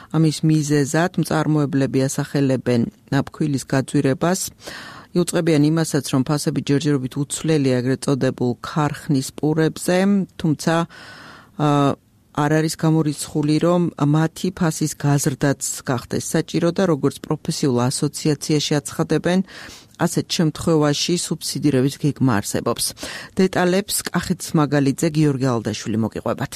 ამის მიზეზად მწარმოებლები ასახელებენ ნაფქვილის გაძვირებას. იუწყებიან იმასაც, რომ ფასები ჯერჯერობით უცვლელია ეგრეთ წოდებულ ქარხნის პურებზე, თუმცა არ არის გამორიცხული, რომ მათი ფასის გაზრდაც გახდეს საჭირო და როგორც პროფესიულ ასოციაციაში აცხადებენ, ასეთ შემთხვევაში სუბსიდირების გეგმა არსებობს. დეტალებს კახეთის მაგალიძე გიორგი ალდაშვილი მოგიყვებათ.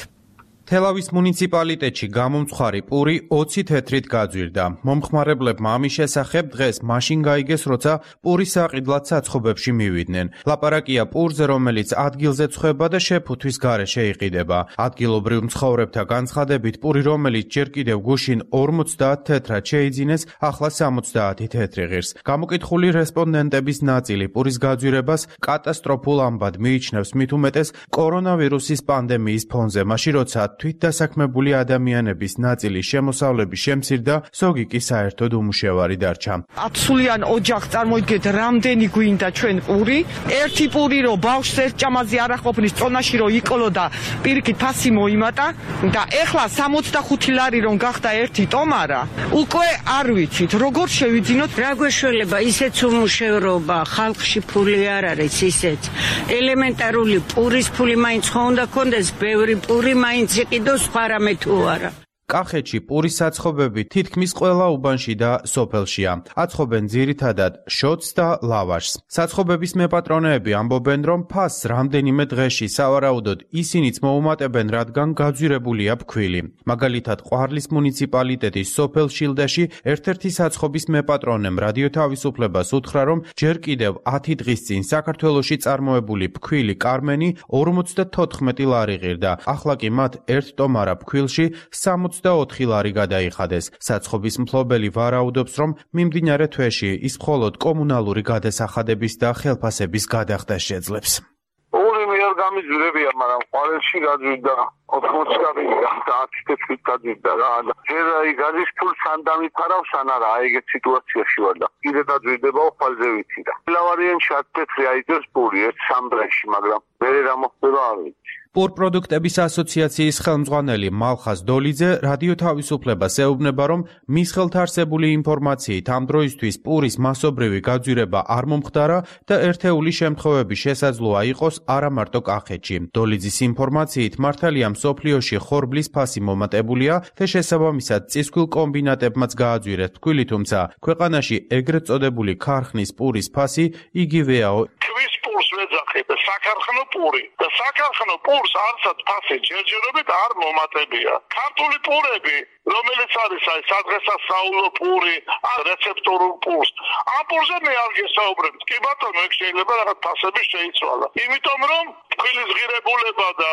თელავის მუნიციპალიტეტში გამომცხარი პური ოცი თეთრით გაძვირდა. მომხმარებლებმა ამის შესახებ დღეს მაშინ გაიგეს, როცა პური საყიდლად საცხობებში მივიდნენ. ლაპარაკია პურზე, რომელიც ადგილზე ცხება და შეფუთვის გარეშე იყიდება. ადგილობრივ მცხოვრებთა განცხადებით, პური, რომელიც ჯერ კიდევ გუშინ ორმოცდაათ თეთრად შეიძინეს, ახლა სამოცდაათი თეთრი ღირს. გამოკითხული რესპონდენტების ნაწილი პურის გაძვირებას კატასტროფულ ამბად მიიჩნევს, მით უმეტეს კორონავირუსის პანდემიის ფონზე, მაშინ როცა თვითდასაქმებული ადამიანების ნაწილის შემოსავლების შემცირდა, ზოგი კი საერთოდ უმუშევარი დარჩა. ათსულიან ოჯახს წარმოიდგეთ, რამდენი გვინდა ჩვენ პური? ერთი პური რო ბავშვს ერთ ჭამაზე არ აყოფნის, წონაში რო იკლო და პირიქით ფასი მოიმატა და ეხლა სამოცდახუთი ლარი რომ გახდა ერთი ტომარა, უკვე არ ვიცით, როგორ შევიძინოთ. რა გვეშველება ისეც უმუშევრობა, ხალხში ფული არ არის ისეც. ელემენტარული პურის ფული მაინც ხო უნდა ქონდეს, ბევრი პური მაინც იყიდოს, სხვა რამე თუ არა. კახეთში პურის საცხობები თითქმის ყველა უბანში და სოფელშია. აცხობენ ძირითადად შოტს და ლავაშს. საცხობების მეპატრონეები ამბობენ, რომ ფასს რამდენიმე დღეში სავარაუდოდ ისინიც მოუმატებენ, რადგან გაძვირებულია ფქვილი. მაგალითად, ყვარლის მუნიციპალიტეტის სოფელ შილდაში ერთ-ერთი საცხობის მეპატრონემ რადიო თავისუფლებას უთხრა, რომ ჯერ კიდევ ათი დღის წინ საქართველოში წარმოებული ფქვილი კარმენი ორმოცდათოთხმეტი ლარი ღირდა. ახლა კი მათ ერთ ტომარა ფქვილში ოცდაოთხი ლარი გადაიხადეს. საცხობის მფლობელი ვარაუდობს, რომ მიმდინარე თვეში ის მხოლოდ კომუნალური გადასახადების და ხელფასების გადახდას შეძლებს. ორი მიერ გამიძვირებია, მაგრამ ყვარელში გაძვირდა ოთხმოცი ლარი და ათი თეთრი გაძვირდა რა. ჯერ აი გადის ფულს ან დამიფარავს ან არა, აი ეგეთ სიტუაციაში ვარ და კიდე დაძვირდება ხვალზე ვიცი და. ლავარიანში ათი თეთრი აიძებს პური ერთ სამ დღეში, მაგრამ მერე რა მოხდება არ ვიცი. პურპროდუქტების ასოციაციის ხელმძღვანელი მალხაზ დოლიძე რადიო თავისუფლებას ეუბნება, რომ მის ხელთ არსებული ინფორმაციით ამ დროისთვის პურის მასობრივი გაძვირება არ მომხდარა და ერთეული შემთხვევები შესაძლოა იყოს არა მარტო კახეთში. დოლიძის ინფორმაციით მართალია მსოფლიოში ხორბლის ფასი მომატებულია და შესაბამისად წისქვილ კომბინატებმაც გააძვირეს ფქვილი, თუმცა ქვეყანაში ეგრეთ წოდებული ქარხნის პურის ფასი იგივეაო. ქვის პურს ვეძახით და საქარხნო პური და საქარხნო პურს არცად ფასი ჯერჯერობით არ მომატებია. ქართული პურები, რომელიც არის აი სადღესასწაულო პური, ან რეცეპტორულ პურს, ამ პურზე მე არ გესაუბრებ. კი ბატონო, ეგ შეიძლება რაღაც ფასები შეიცვალა. იმიტომ რომ ფქვილის ღირებულება და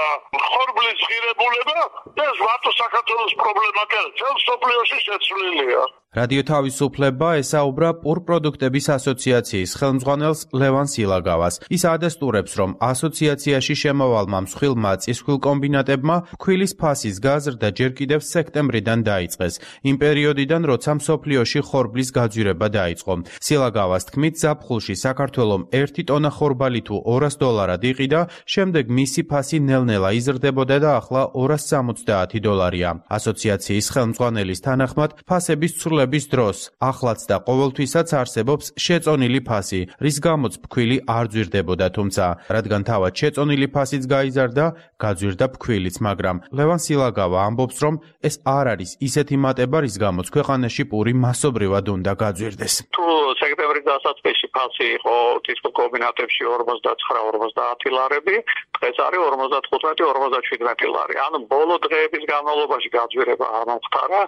ხორბლის ღირებულება ეს მარტო საქართველოს პრობლემა კი არა, ძველ სოფლიოში შეცვლილია. რადიო თავისუფლება ესაუბრა პურპროდუქტების ასოციაციის ხელმძღვანელს ლევან სილაგავას. ის ადასტურებს, რომ ასოციაციაში შემავალმა მსხვილმა წისქვილ კომბინატებმა ფქვილის ფასის გაზრდა ჯერ კიდევ სექტემბრიდან დაიწყეს, იმ პერიოდიდან, როცა მსოფლიოში ხორბლის გაძვირება დაიწყო. სილაგავას თქმით, ზაფხულში საქართველომ ერთი ტონა ხორბალი თუ ორას დოლარად იყიდა, შემდეგ მისი ფასი ნელ-ნელა იზრდებოდა და ახლა ორას სამოცდაათი დოლარია. ასოციაციის ხელმძღვანელის თანახმად, ფასების ცვლილების დროს ახლაც და ყოველთვისაც არსებობს შეწონილი ფასი, რის გამოც ფქვილი არ ძვირდებოდა, თუმცა რადგან თავად შეწონილი ფასიც გაიზარდა, გაძვირდა ფქვილიც, მაგრამ ლევან სილაგავა ამბობს, რომ ეს არ არის ისეთი მატება, რის გამოც ქვეყანაში პური მასობრივად უნდა გაძვირდეს. თუ სექტემბრის დასაწყისში ფასი იყო წისქვილ კომბინატებში ორმოცდაცხრა ორმოცდაათი ლარები, დღეს არის ორმოცდათხუთმეტი ორმოცდაშვიდმეტი ლარი. ანუ ბოლო დღეების განმავლობაში გაძვირება არ მომხდარა,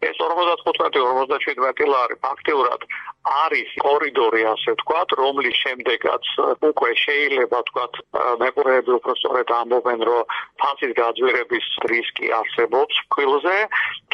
ეს ორმოცდათხუთმეტი ორმოცდაშვიდმეტი ლარი ფაქტიურად არის კორიდორი, ასე ვთქვათ, რომლის შემდეგაც უკვე შეიძლება ვთქვათ, მეყურეები უფრო სწორედ ამბობენ, რომ ფასის გაძვირების რისკი არსებობს ფქვილზე,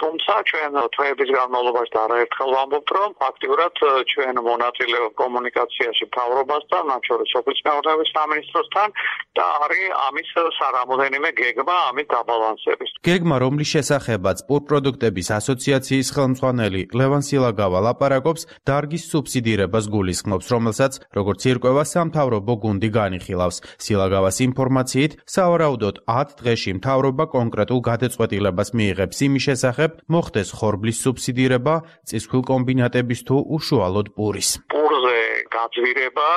თუმცა ჩვენ თვეების განმავლობაში და არაერთხელ ვამბობთ, რომ ფაქტიურად ჩვენ მონაწილეობთ კომუნიკაციაში მთავრობასთან, მათ შორის სოფლის მეურნეობის სამინისტროსთან და არის ამის სარამოდენიმე გეგმა ამის დაბალანსების. გეგმა, რომლის შესახებაც პურპროდუქტების ასოციაციის ხელმძღვანელი ლევან სილაგავა ლაპარაკობს, დარგის სუბსიდირებას გულისხმობს, რომელსაც, როგორც ირკვევა, სამთავრობო გუნდი განიხილავს. სილაგავას ინფორმაციით, სავარაუდოდ ათ დღეში მთავრობა კონკრეტულ გადაწყვეტილებას მიიღებს იმის შესახებ, მოხდეს ხორბლის სუბსიდირება წისქვილ კომბინატების თუ უშუალოდ პურის. პურზე გაძვირება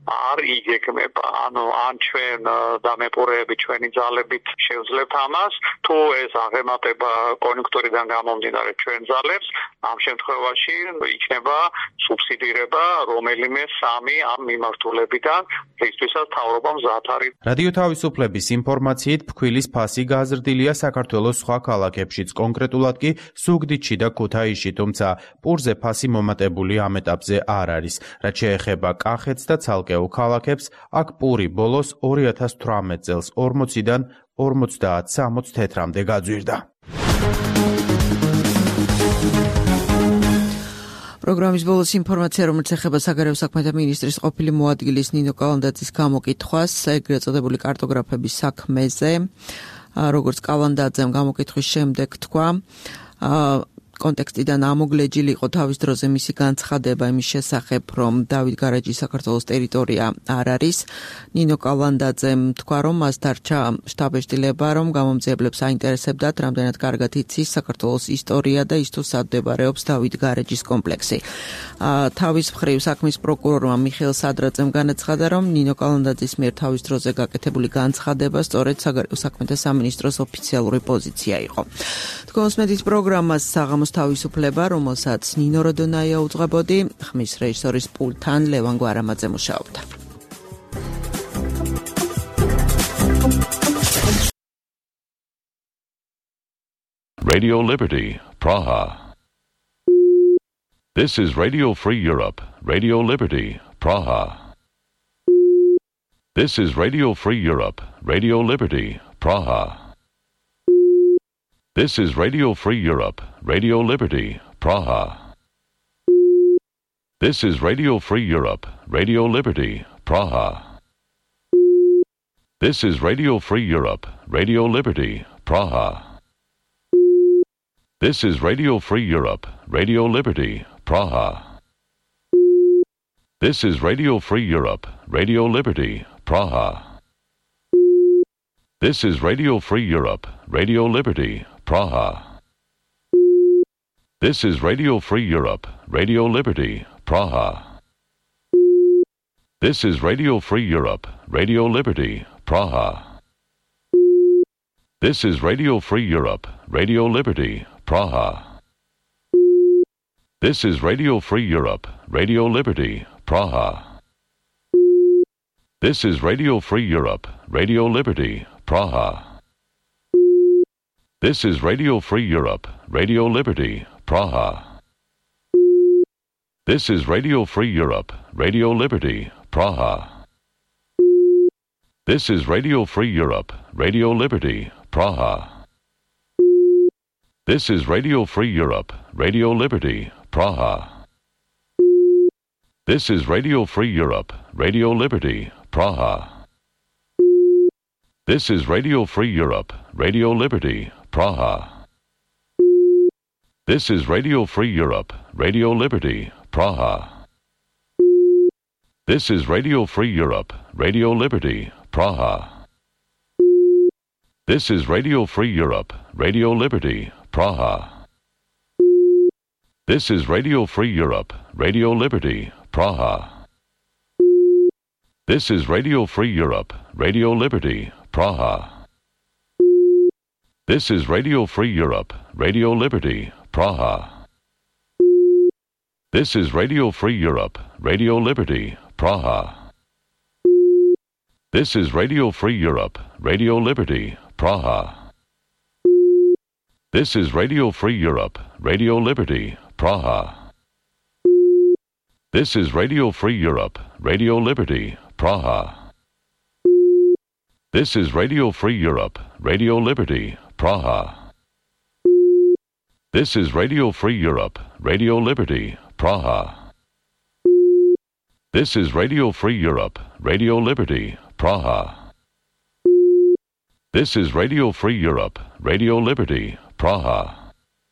არ იგეგმება, ანუ ან ჩვენ დამეყურეები ჩვენი ძალებით შევძლებთ ამას, თუ ეს აღემატება კონjunktურიდან გამომდინარე ჩვენ ძალებს, ამ შემთხვევაში იქნება სუბსიდირება რომელიმე სამი ამ მიმართულებიდან, რისთვისაც მთავრობა მზად არის. რადიო თავისუფლების ინფორმაციით, ფქვილის ფასი გაზრდილია საქართველოს სხვა ქალაქებშიც, კონკრეტულად კი ზუგდიდში და ქუთაისში, თუმცა პურზე ფასი მომატებული ამ ეტაპზე არ არის. რაც შეეხება კახეთს და ცალკეულ ქალაქებს, აქ პური ბოლოს ორი ათას თვრამეტ წელს ორმოციდან ორმოცდაათ სამოც თეთრამდე გაძვირდა. პროგრამის ბოლოს ინფორმაცია, რომელიც ეხება საგარეო საქმეთა მინისტრის ყოფილი მოადგილის ნინო კალანდაძის გამოკითხვას ეგრეთ წოდებული კარტოგრაფების საქმეზე. როგორც კალანდაძემ გამოკითხვის შემდეგ თქვა, კონტექსტიდან ამოგლეჯილი იყო თავის დროზე მისი განცხადება იმის შესახებ, რომ დავით გარაჯი საქართველოს ტერიტორია არ არის. ნინო კალანდაძემ თქვა, რომ მას დარჩა შტაბ-ეშტილება, რომ გამომძიებლებს აინტერესებდათ, რამდენად კარგად იცის საქართველოს ისტორია და ის თუ სად მდებარეობს დავით გარაჯის კომპლექსი. თავის მხრივ საქმის პროკურორმა მიხეილ სადრაძემ განაცხადა, რომ ნინო კალანდაძის მიერ თავის დროზე გაკეთებული განცხადება სწორედ საგარეო საქმეთა სამინისტროს ოფიციალური პოზიცია იყო. თქოსმეთის პროგრამას საღამოს თავისუფლება, რომელსაც ნინო როდონაია უძღვებოდი, ხმის რეჟისორის პულტთან ლევან გვარამაძე მუშაობდა. Radio Liberty, Praha. This is Radio Free Europe, Radio Liberty, Praha. This is Radio Free Europe, Radio Liberty, Praha. This is Radio Free Europe, Radio Liberty, Praha. This is Radio Free Europe, Radio Liberty, Praha. This is Radio Free Europe, Radio Liberty, Praha. This is Radio Free Europe, Radio Liberty, Praha. This is Radio Free Europe, Radio Liberty, Praha. This is Radio Free Europe, Radio Liberty, Praha. This is Radio Free Europe, Radio Liberty, Praha. This is Radio Free Europe, Radio Liberty, Praha. This is Radio Free Europe, Radio Liberty, Praha. This is Radio Free Europe, Radio Liberty, Praha. This is Radio Free Europe, Radio Liberty, Praha. This is Radio Free Europe, Radio Liberty, Praha. This is Radio Free Europe, Radio Liberty, Praha. This is Radio Free Europe, Radio Liberty, Praha. This is Radio Free Europe, Radio Liberty, Praha. This is Radio Free Europe, Radio Liberty, Praha. This is Radio Free Europe, Radio Liberty, Praha. This is Radio Free Europe, Radio Liberty, Praha. This is Radio Free Europe, Radio Liberty, Praha. This is Radio Free Europe, Radio Liberty, Praha. This is Radio Free Europe, Radio Liberty, Praha. This is Radio Free Europe, Radio Liberty, Praha. This is Radio Free Europe, Radio Liberty, Praha. This is Radio Free Europe, Radio Liberty, Praha. This is Radio Free Europe, Radio Liberty, Praha. This is Radio Free Europe, Radio Liberty, Praha. This is Radio Free Europe, Radio Liberty, Praha. This is Radio Free Europe, Radio Liberty, Praha. This is Radio Free Europe, Radio Liberty, Praha. This is Radio Free Europe, Radio Liberty, Praha.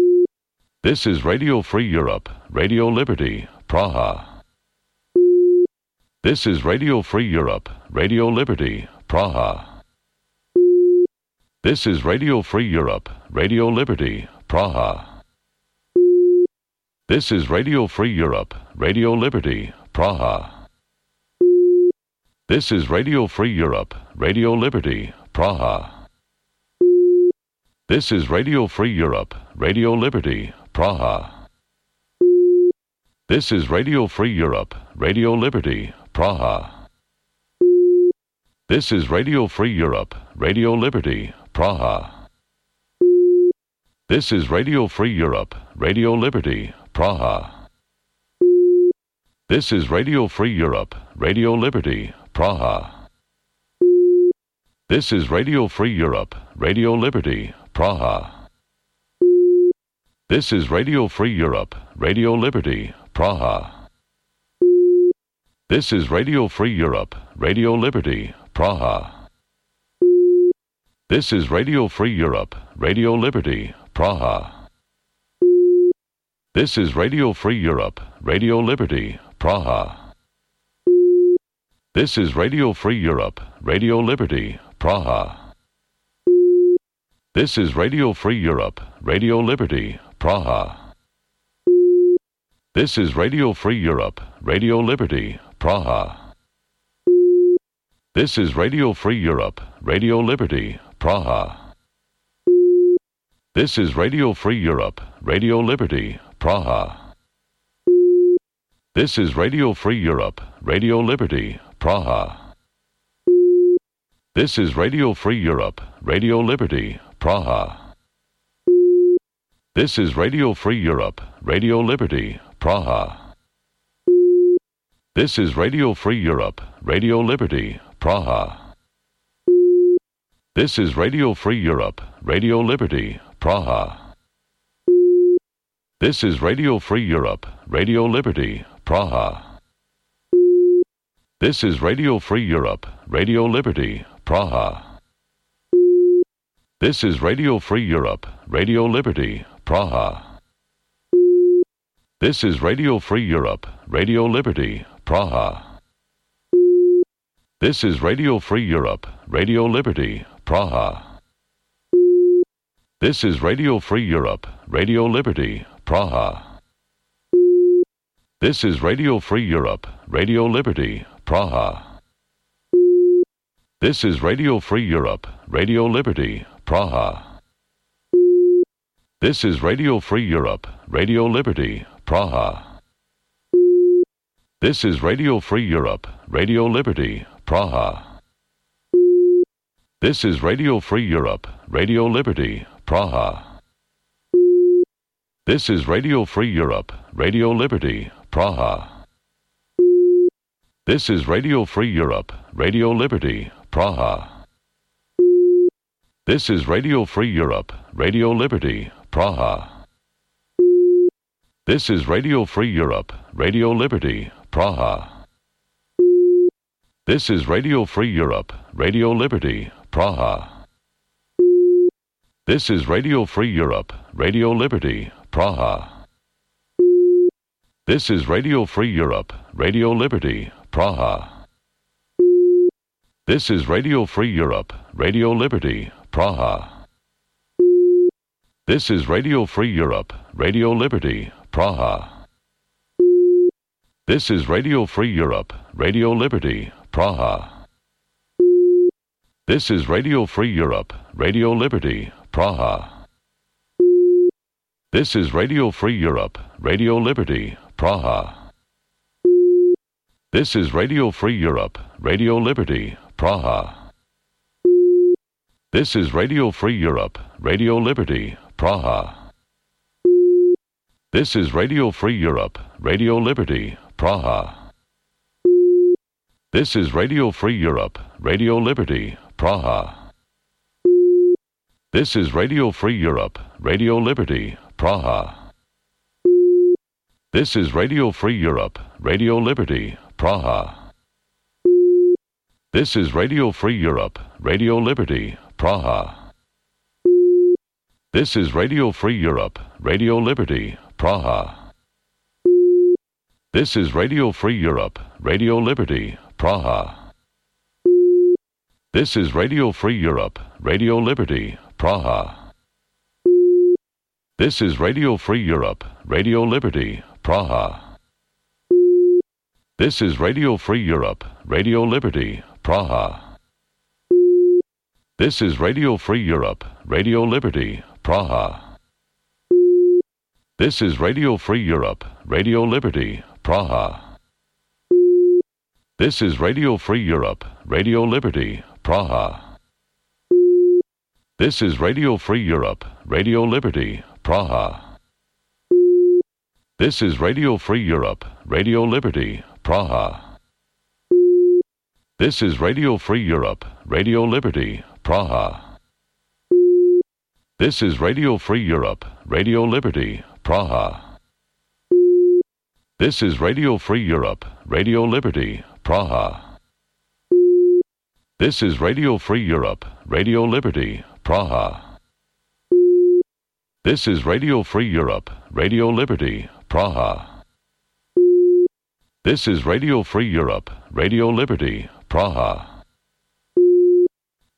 This is Radio Free Europe, Radio Liberty, Praha. This is Radio Free Europe, Radio Liberty, Praha. This is Radio Free Europe, Radio Liberty, Praha. This is Radio Free Europe, Radio Liberty, Praha. This is Radio Free Europe, Radio Liberty, Praha. This is Radio Free Europe, Radio Liberty, Praha. This is Radio Free Europe, Radio Liberty, Praha. This is Radio Free Europe, Radio Liberty, Praha. This is Radio Free Europe, Radio Liberty, Praha. This is Radio Free Europe, Radio Liberty, Praha. This is Radio Free Europe, Radio Liberty, Praha. This is Radio Free Europe, Radio Liberty, Praha. This is Radio Free Europe, Radio Liberty, Praha. This is Radio Free Europe, Radio Liberty, Praha. This is Radio Free Europe, Radio Liberty, Praha. This is Radio Free Europe, Radio Liberty, Praha. This is Radio Free Europe, Radio Liberty, Praha. This is Radio Free Europe, Radio Liberty, Praha. This is Radio Free Europe, Radio Liberty, Praha. This is Radio Free Europe, Radio Liberty, Praha. This is Radio Free Europe, Radio Liberty, Praha. This is Radio Free Europe, Radio Liberty, Praha. This is Radio Free Europe, Radio Liberty, Praha. This is Radio Free Europe, Radio Liberty, Praha. This is Radio Free Europe, Radio Liberty, Praha. This is Radio Free Europe, Radio Liberty, Praha. This is Radio Free Europe, Radio Liberty, Praha. This is Radio Free Europe, Radio Liberty, Praha. This is Radio Free Europe, Radio Liberty, Praha. This is Radio Free Europe, Radio Liberty, Praha. This is Radio Free Europe, Radio Liberty, Praha. This is Radio Free Europe, Radio Liberty, Praha. This is Radio Free Europe, Radio Liberty, Praha. This is Radio Free Europe, Radio Liberty, Praha. This is Radio Free Europe, Radio Liberty, Praha. This is Radio Free Europe, Radio Liberty, Praha. This is Radio Free Europe, Radio Liberty, Praha. This is Radio Free Europe, Radio Liberty, Praha. This is Radio Free Europe, Radio Liberty, Praha. This is Radio Free Europe, Radio Liberty, Praha. This is Radio Free Europe, Radio Liberty, Praha. This is Radio Free Europe, Radio Liberty, Praha. This is Radio Free Europe, Radio Liberty, Praha. This is Radio Free Europe, Radio Liberty, Praha. This is Radio Free Europe, Radio Liberty, Praha. This is Radio Free Europe, Radio Liberty, Praha. This is Radio Free Europe, Radio Liberty, Praha. This is Radio Free Europe, Radio Liberty, Praha. This is Radio Free Europe, Radio Liberty, Praha. This is Radio Free Europe, Radio Liberty, Praha. This is Radio Free Europe, Radio Liberty, Praha. This is Radio Free Europe, Radio Liberty, Praha. This is Radio Free Europe, Radio Liberty, Praha. This is Radio Free Europe, Radio Liberty, Praha. This is Radio Free Europe, Radio Liberty, Praha. This is Radio Free Europe, Radio Liberty, Praha. This is Radio Free Europe, Radio Liberty, Praha. This is Radio Free Europe, Radio Liberty, Praha. This is Radio Free Europe, Radio Liberty, Praha. This is Radio Free Europe, Radio Liberty, Praha. This is Radio Free Europe, Radio Liberty, Praha. This is Radio Free Europe, Radio Liberty, Praha. This is Radio Free Europe, Radio Liberty, Praha. This is Radio Free Europe, Radio Liberty, Praha. This is Radio Free Europe, Radio Liberty, Praha. This is Radio Free Europe, Radio Liberty, Praha. This is Radio Free Europe, Radio Liberty, Praha. This is Radio Free Europe, Radio Liberty, Praha. This is Radio Free Europe, Radio Liberty, Praha. This is Radio Free Europe, Radio Liberty, Praha. This is Radio Free Europe, Radio Liberty, Praha. This is Radio Free Europe, Radio Liberty, Praha.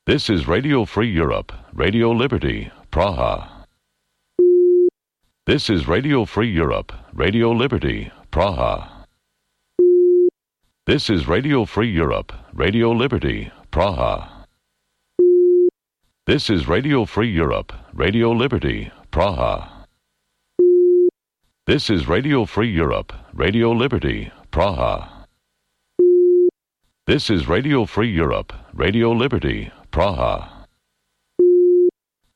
This is Radio Free Europe, Radio Liberty, Praha. This is Radio Free Europe, Radio Liberty, Praha. This is Radio Free Europe, Radio Liberty, Praha. This is Radio Free Europe, Radio Liberty, Praha. This is Radio Free Europe, Radio Liberty, Praha. This is Radio Free Europe, Radio Liberty, Praha.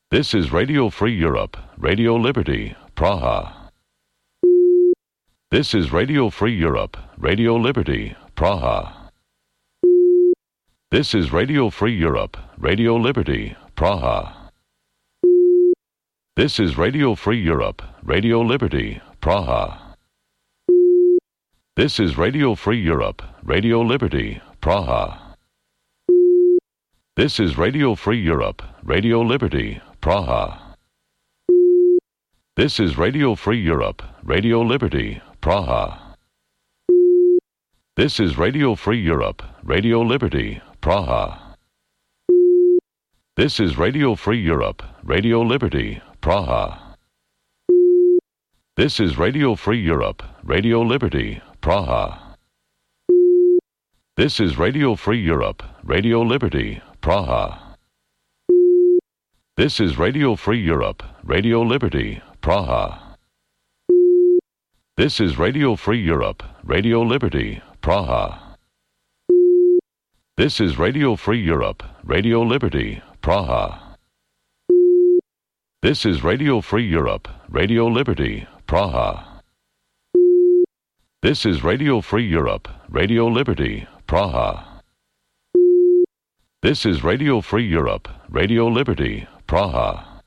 This is Radio Free Europe, Radio Liberty, Praha. This is Radio Free Europe, Radio Liberty, Praha. This is Radio Free Europe, Radio Liberty, Praha. This is Radio Free Europe, Radio Liberty, Praha. This is Radio Free Europe, Radio Liberty, Praha. This is Radio Free Europe, Radio Liberty, Praha. This is Radio Free Europe, Radio Liberty, Praha. This is Radio Free Europe, Radio Liberty, Praha. This is Radio Free Europe, Radio Liberty, Praha. This is Radio Free Europe, Radio Liberty, Praha. This is Radio Free Europe, Radio Liberty, Praha. This is Radio Free Europe, Radio Liberty, Praha. This is Radio Free Europe, Radio Liberty, Praha. This is Radio Free Europe, Radio Liberty, Praha. This is Radio Free Europe, Radio Liberty, Praha. This is Radio Free Europe, Radio Liberty, Praha. This is Radio Free Europe, Radio Liberty, Praha.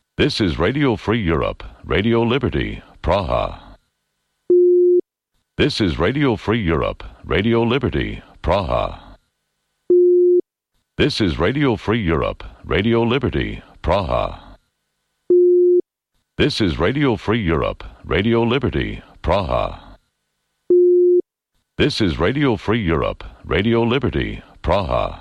This is Radio Free Europe, Radio Liberty, Praha. This is Radio Free Europe, Radio Liberty, Praha. This is Radio Free Europe, Radio Liberty, Praha. This is Radio Free Europe, Radio Liberty, Praha.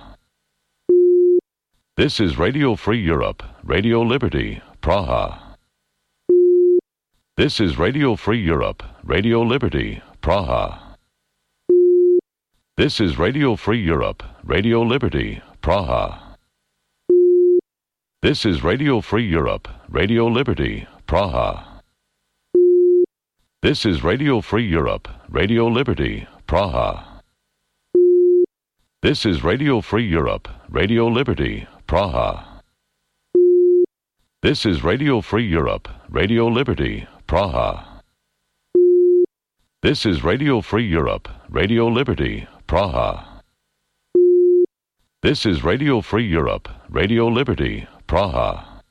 This is Radio Free Europe, Radio Liberty, Praha. This is Radio Free Europe, Radio Liberty, Praha. This is Radio Free Europe, Radio Liberty, Praha. This is Radio Free Europe, Radio Liberty, Praha. This is Radio Free Europe, Radio Liberty, Praha. This is Radio Free Europe, Radio Liberty, Praha. This is Radio Free Europe, Radio Liberty, Praha. This is Radio Free Europe, Radio Liberty, Praha. This is Radio Free Europe, Radio Liberty, Praha. This is Radio Free Europe, Radio Liberty, Praha.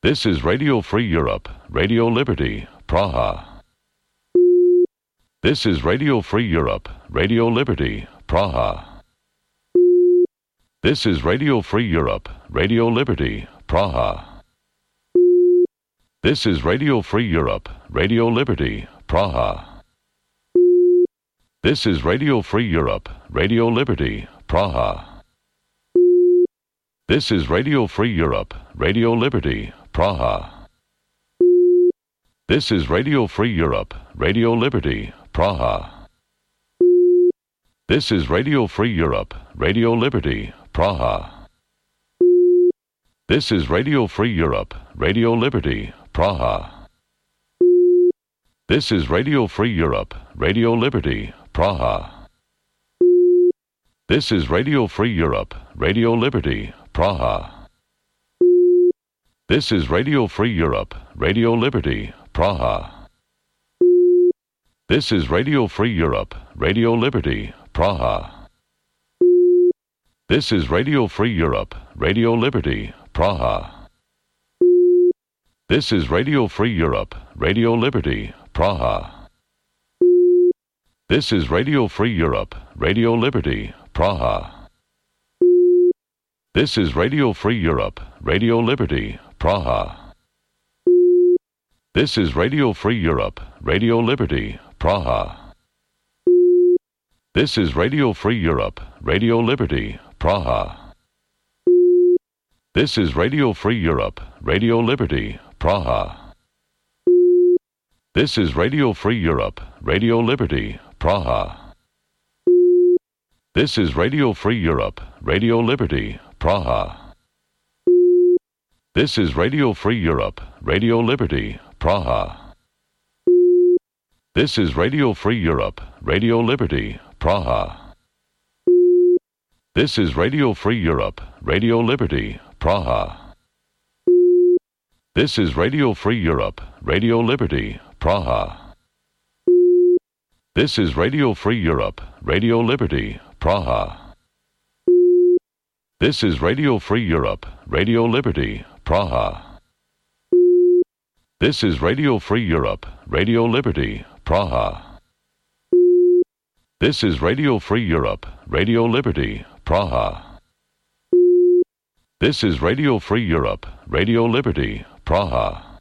This is Radio Free Europe, Radio Liberty, Praha. This is Radio Free Europe, Radio Liberty, Praha. This is Radio Free Europe, Radio Liberty, Praha. This is Radio Free Europe, Radio Liberty, Praha. This is Radio Free Europe, Radio Liberty, Praha. This is Radio Free Europe, Radio Liberty, Praha. This is Radio Free Europe, Radio Liberty, Praha. This is Radio Free Europe, Radio Liberty, Praha. This is Radio Free Europe, Radio Liberty, Praha. This is Radio Free Europe, Radio Liberty, Praha. This is Radio Free Europe, Radio Liberty, Praha. This is Radio Free Europe, Radio Liberty, Praha. This is Radio Free Europe, Radio Liberty, Praha. This is Radio Free Europe, Radio Liberty, Praha. This is Radio Free Europe, Radio Liberty, Praha. This is Radio Free Europe, Radio Liberty, Praha. This is Radio Free Europe, Radio Liberty, Praha. This is Radio Free Europe, Radio Liberty, Praha. This is Radio Free Europe, Radio Liberty, Praha. This is Radio Free Europe, Radio Liberty, Praha. This is Radio Free Europe, Radio Liberty, Praha. This is Radio Free Europe, Radio Liberty, Praha. This is Radio Free Europe, Radio Liberty, Praha. This is Radio Free Europe, Radio Liberty, Praha. This is Radio Free Europe, Radio Liberty, Praha. This is Radio Free Europe, Radio Liberty, Praha. This is Radio Free Europe, Radio Liberty, Praha. This is Radio Free Europe, Radio Liberty, Praha. This is Radio Free Europe, Radio Liberty, Praha. This is Radio Free Europe, Radio Liberty, Praha. This is Radio Free Europe, Radio Liberty, Praha.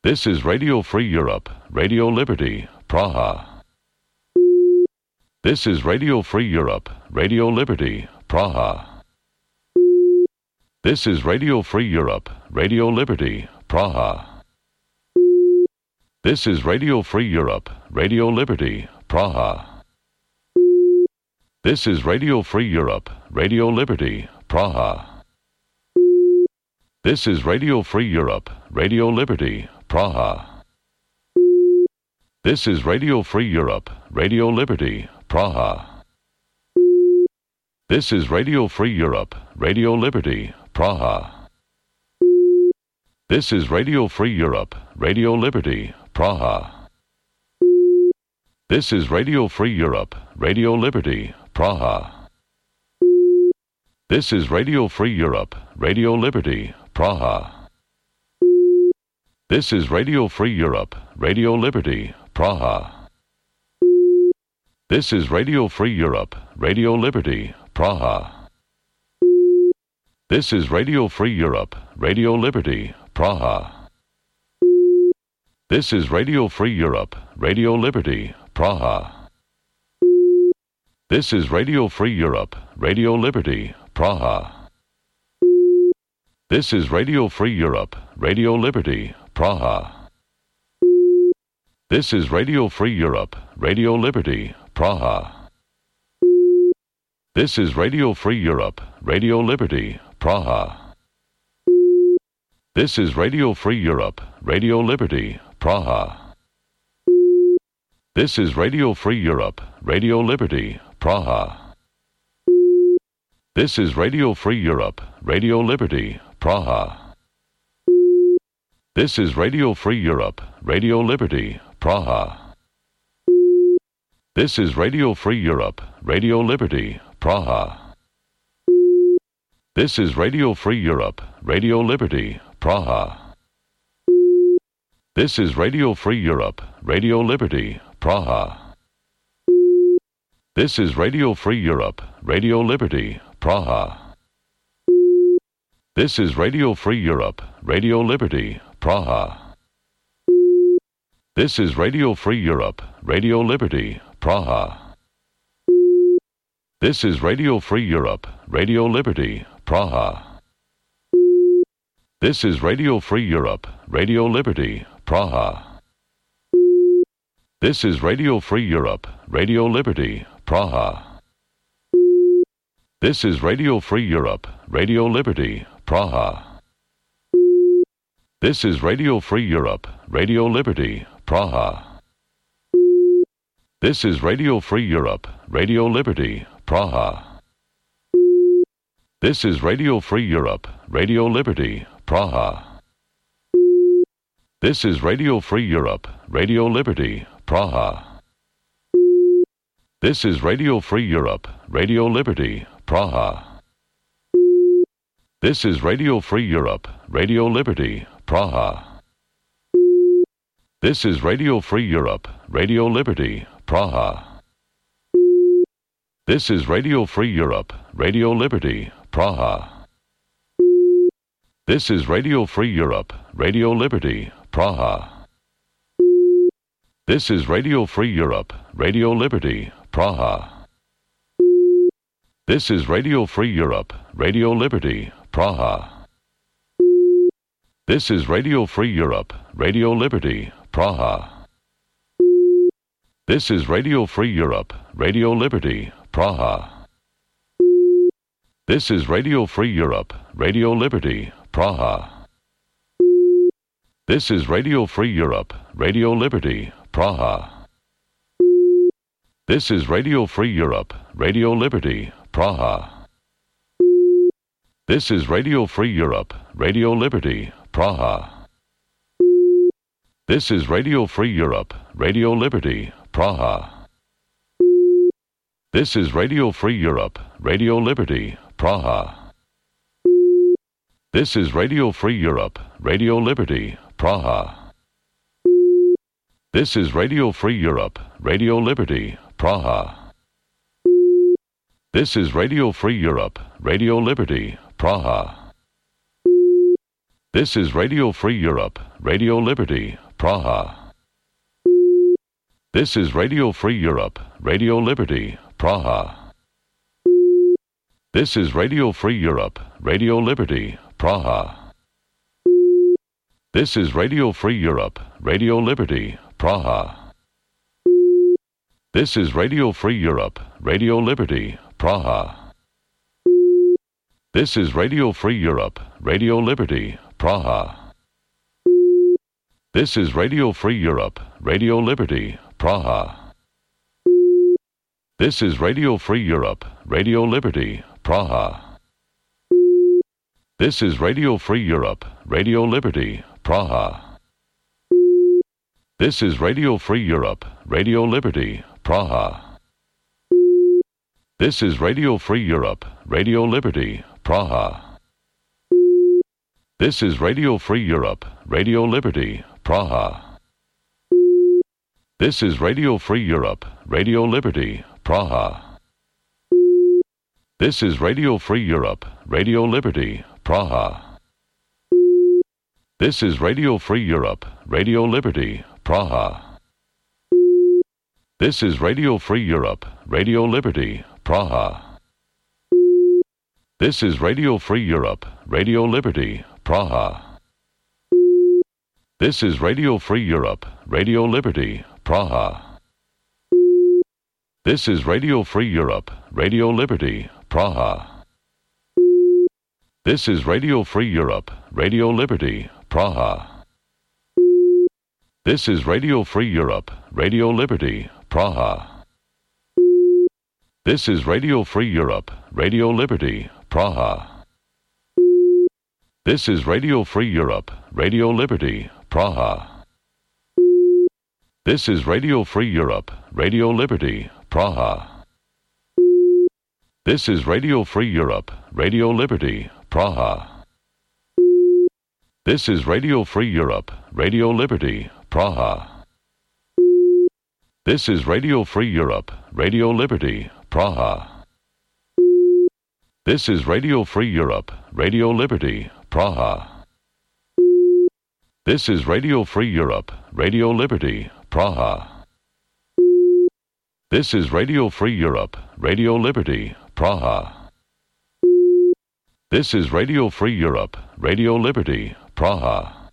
This is Radio Free Europe, Radio Liberty, Praha. This is Radio Free Europe, Radio Liberty, Praha. This is Radio Free Europe, Radio Liberty, Praha. This is Radio Free Europe, Radio Liberty, Praha. This is Radio Free Europe, Radio Liberty, Praha. This is Radio Free Europe, Radio Liberty, Praha. This is Radio Free Europe, Radio Liberty, Praha. This is Radio Free Europe, Radio Liberty, Praha. This is Radio Free Europe, Radio Liberty, Praha. This is Radio Free Europe, Radio Liberty, Praha. This is Radio Free Europe, Radio Liberty, Praha. This is Radio Free Europe, Radio Liberty, Praha. This is Radio Free Europe, Radio Liberty, Praha. This is Radio Free Europe, Radio Liberty, Praha. This is Radio Free Europe, Radio Liberty, Praha. This is Radio Free Europe, Radio Liberty, Praha. This is Radio Free Europe, Radio Liberty, Praha. This is Radio Free Europe, Radio Liberty, Praha. This is Radio Free Europe, Radio Liberty, Praha. This is Radio Free Europe, Radio Liberty, Praha. This is Radio Free Europe, Radio Liberty, Praha. This is Radio Free Europe, Radio Liberty, Praha. This is Radio Free Europe, Radio Liberty, Praha. This is Radio Free Europe, Radio Liberty, Praha. This is Radio Free Europe, Radio Liberty, Praha. This is Radio Free Europe, Radio Liberty, Praha. This is Radio Free Europe, Radio Liberty, Praha. This is Radio Free Europe, Radio Liberty, Praha. This is Radio Free Europe, Radio Liberty, Praha. This is Radio Free Europe, Radio Liberty, Praha. This is Radio Free Europe, Radio Liberty, Praha. This is Radio Free Europe, Radio Liberty, Praha. This is Radio Free Europe, Radio Liberty, Praha. This is Radio Free Europe, Radio Liberty, Praha. This is Radio Free Europe, Radio Liberty, Praha. This is Radio Free Europe, Radio Liberty, Praha. This is Radio Free Europe, Radio Liberty, Praha. This is Radio Free Europe, Radio Liberty, Praha. This is Radio Free Europe, Radio Liberty, Praha. This is Radio Free Europe, Radio Liberty, Praha. This is Radio Free Europe, Radio Liberty, Praha. This is Radio Free Europe, Radio Liberty, Praha. This is Radio Free Europe, Radio Liberty, Praha. This is Radio Free Europe, Radio Liberty, Praha. This is Radio Free Europe, Radio Liberty, Praha. This is Radio Free Europe, Radio Liberty, Praha. This is Radio Free Europe, Radio Liberty, Praha. This is Radio Free Europe, Radio Liberty, Praha. This is Radio Free Europe, Radio Liberty, Praha. This is Radio Free Europe, Radio Liberty, Praha. This is Radio Free Europe, Radio Liberty, Praha. This is Radio Free Europe, Radio Liberty, Praha. This is Radio Free Europe, Radio Liberty, Praha. This is Radio Free Europe, Radio Liberty, Praha. This is Radio Free Europe, Radio Liberty, Praha. This is Radio Free Europe, Radio Liberty, Praha. This is Radio Free Europe, Radio Liberty, Praha. This is Radio Free Europe, Radio Liberty, Praha. This is Radio Free Europe, Radio Liberty, Praha. This is Radio Free Europe, Radio Liberty, Praha. This is Radio Free Europe, Radio Liberty, Praha. This is Radio Free Europe, Radio Liberty, Praha. This is Radio Free Europe, Radio Liberty, Praha. This is Radio Free Europe, Radio Liberty, Praha. This is Radio Free Europe, Radio Liberty, Praha. This is Radio Free Europe, Radio Liberty, Praha. This is Radio Free Europe, Radio Liberty, Praha. This is Radio Free Europe, Radio Liberty, Praha. This is Radio Free Europe, Radio Liberty, Praha. This is Radio Free Europe, Radio Liberty, Praha. This is Radio Free Europe, Radio Liberty, Praha. This is Radio Free Europe, Radio Liberty, Praha. This is Radio Free Europe, Radio Liberty, Praha. This is Radio Free Europe, Radio Liberty, Praha. This is Radio Free Europe, Radio Liberty, Praha. This is Radio Free Europe, Radio Liberty, Praha. This is Radio Free Europe, Radio Liberty, Praha. This is Radio Free Europe, Radio Liberty, Praha. This is Radio Free Europe, Radio Liberty, Praha. This is Radio Free Europe, Radio Liberty, Praha. This is Radio Free Europe, Radio Liberty, Praha. This is Radio Free Europe, Radio Liberty, Praha. This is Radio Free Europe, Radio Liberty, Praha. This is Radio Free Europe, Radio Liberty, Praha. This is Radio Free Europe, Radio Liberty, Praha. This is Radio Free Europe, Radio Liberty, Praha.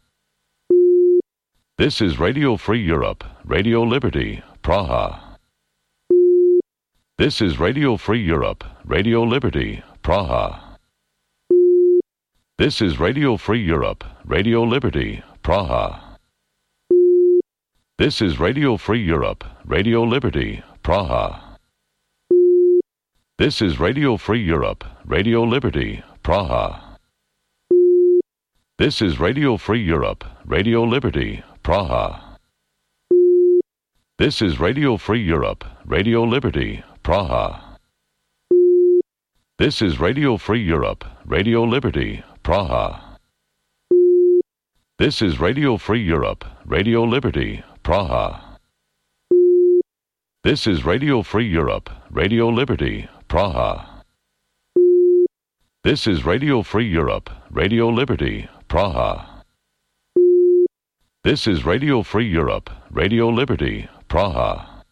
This is Radio Free Europe, Radio Liberty, Praha. This is Radio Free Europe, Radio Liberty, Praha. This is Radio Free Europe, Radio Liberty, Praha. This is Radio Free Europe, Radio Liberty, Praha. This is Radio Free Europe, Radio Liberty, Praha. This is Radio Free Europe, Radio Liberty, Praha. This is Radio Free Europe, Radio Liberty, Praha. This is Radio Free Europe, Radio Liberty, Praha. This is Radio Free Europe, Radio Liberty, Praha. This is Radio Free Europe, Radio Liberty, Praha. This is Radio Free Europe, Radio Liberty, Praha. This is Radio Free Europe, Radio Liberty, Praha.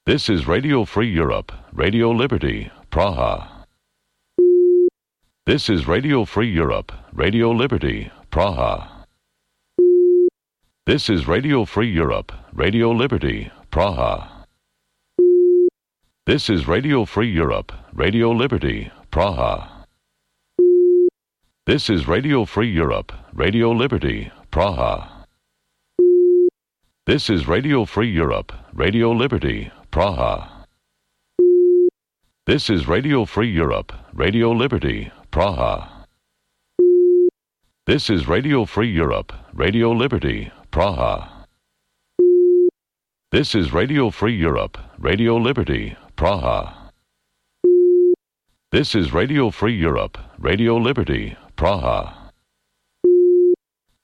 This is Radio Free Europe, Radio Liberty, Praha. This is Radio Free Europe, Radio Liberty, Praha. This is Radio Free Europe, Radio Liberty, Praha. This is Radio Free Europe, Radio Liberty, Praha. This is Radio Free Europe, Radio Liberty, Praha. This is Radio Free Europe, Radio Liberty, Praha. This is Radio Free Europe, Radio Liberty, Praha. This is Radio Free Europe, Radio Liberty, Praha. This is Radio Free Europe, Radio Liberty, Praha. This is Radio Free Europe, Radio Liberty, Praha.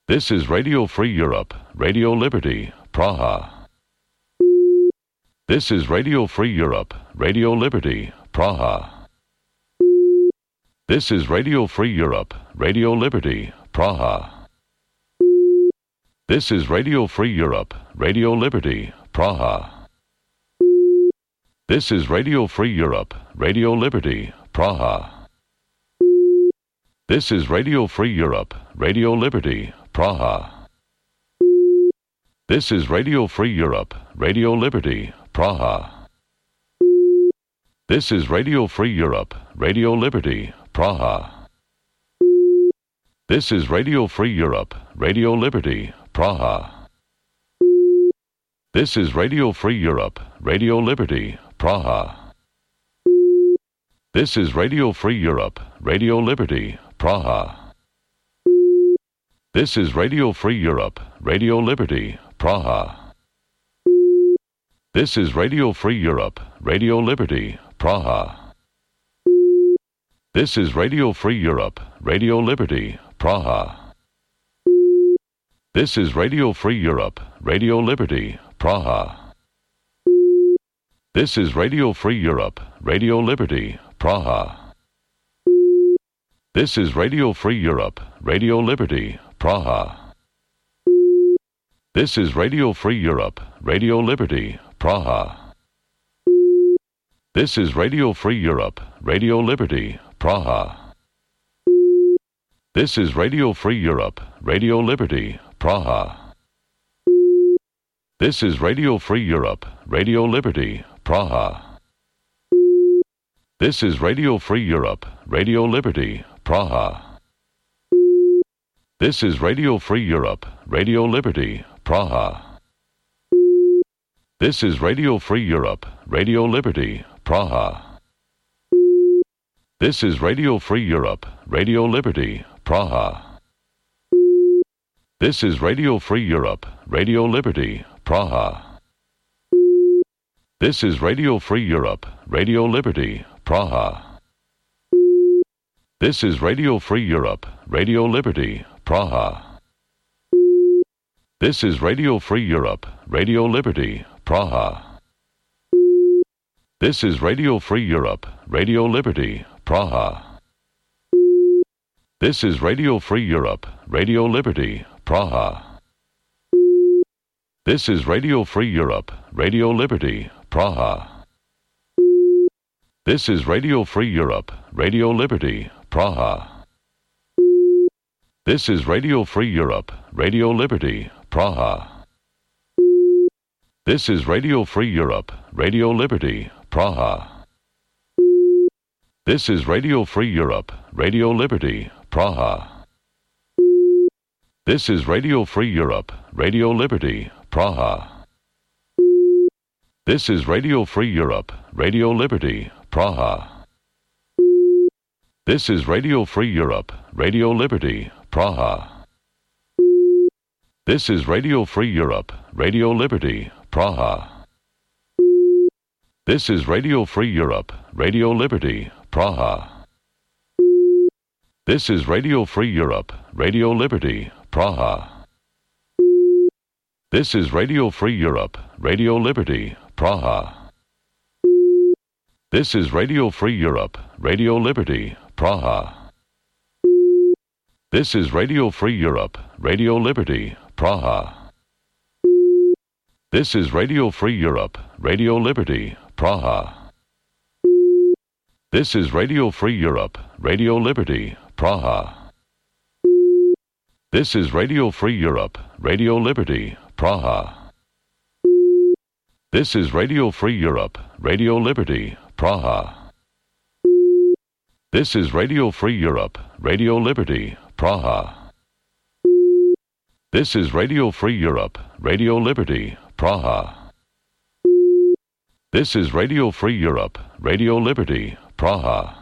This is Radio Free Europe, Radio Liberty, Praha. This is Radio Free Europe, Radio Liberty, Praha. This is Radio Free Europe, Radio Liberty, Praha. This is Radio Free Europe, Radio Liberty, Praha. This is Radio Free Europe, Radio Liberty, Praha. This is Radio Free Europe, Radio Liberty, Praha. This is Radio Free Europe, Radio Liberty, Praha. This is Radio Free Europe, Radio Liberty, Praha. This is Radio Free Europe, Radio Liberty, Praha. This is Radio Free Europe, Radio Liberty, Praha. This is Radio Free Europe, Radio Liberty, Praha. This is Radio Free Europe, Radio Liberty, Praha. This is Radio Free Europe, Radio Liberty, Praha. This is Radio Free Europe, Radio Liberty, Praha. This is Radio Free Europe, Radio Liberty, Praha. This is Radio Free Europe, Radio Liberty, Praha. This is Radio Free Europe, Radio Liberty, Praha. This is Radio Free Europe, Radio Liberty, Praha. This is Radio Free Europe, Radio Liberty, Praha. This is Radio Free Europe, Radio Liberty, Praha. This is Radio Free Europe, Radio Liberty, Praha. This is Radio Free Europe, Radio Liberty, Praha. This is Radio Free Europe, Radio Liberty, Praha. This is Radio Free Europe, Radio Liberty, Praha. This is Radio Free Europe, Radio Liberty, Praha. This is Radio Free Europe, Radio Liberty, Praha. This is Radio Free Europe, Radio Liberty, Praha. This is Radio Free Europe, Radio Liberty, Praha. This is Radio Free Europe, Radio Liberty, Praha. This is Radio Free Europe, Radio Liberty, Praha. This is Radio Free Europe, Radio Liberty, Praha. This is Radio Free Europe, Radio Liberty, Praha. This is Radio Free Europe, Radio Liberty, Praha. This is Radio Free Europe, Radio Liberty, Praha. This is Radio Free Europe, Radio Liberty, Praha. This is Radio Free Europe, Radio Liberty, Praha. This is Radio Free Europe, Radio Liberty, Praha. This is Radio Free Europe, Radio Liberty, Praha. This is Radio Free Europe, Radio Liberty, Praha. This is Radio Free Europe, Radio Liberty, Praha. This is Radio Free Europe, Radio Liberty, Praha. This is Radio Free Europe, Radio Liberty, Praha. This is Radio Free Europe, Radio Liberty, Praha. This is Radio Free Europe, Radio Liberty, Praha. This is Radio Free Europe, Radio Liberty, Praha. This is Radio Free Europe, Radio Liberty, Praha. This is Radio Free Europe, Radio Liberty, Praha. This is Radio Free Europe, Radio Liberty, Praha. This is Radio Free Europe, Radio Liberty, Praha. This is Radio Free Europe, Radio Liberty, Praha. This is Radio Free Europe, Radio Liberty, Praha. This is Radio Free Europe, Radio Liberty, Praha.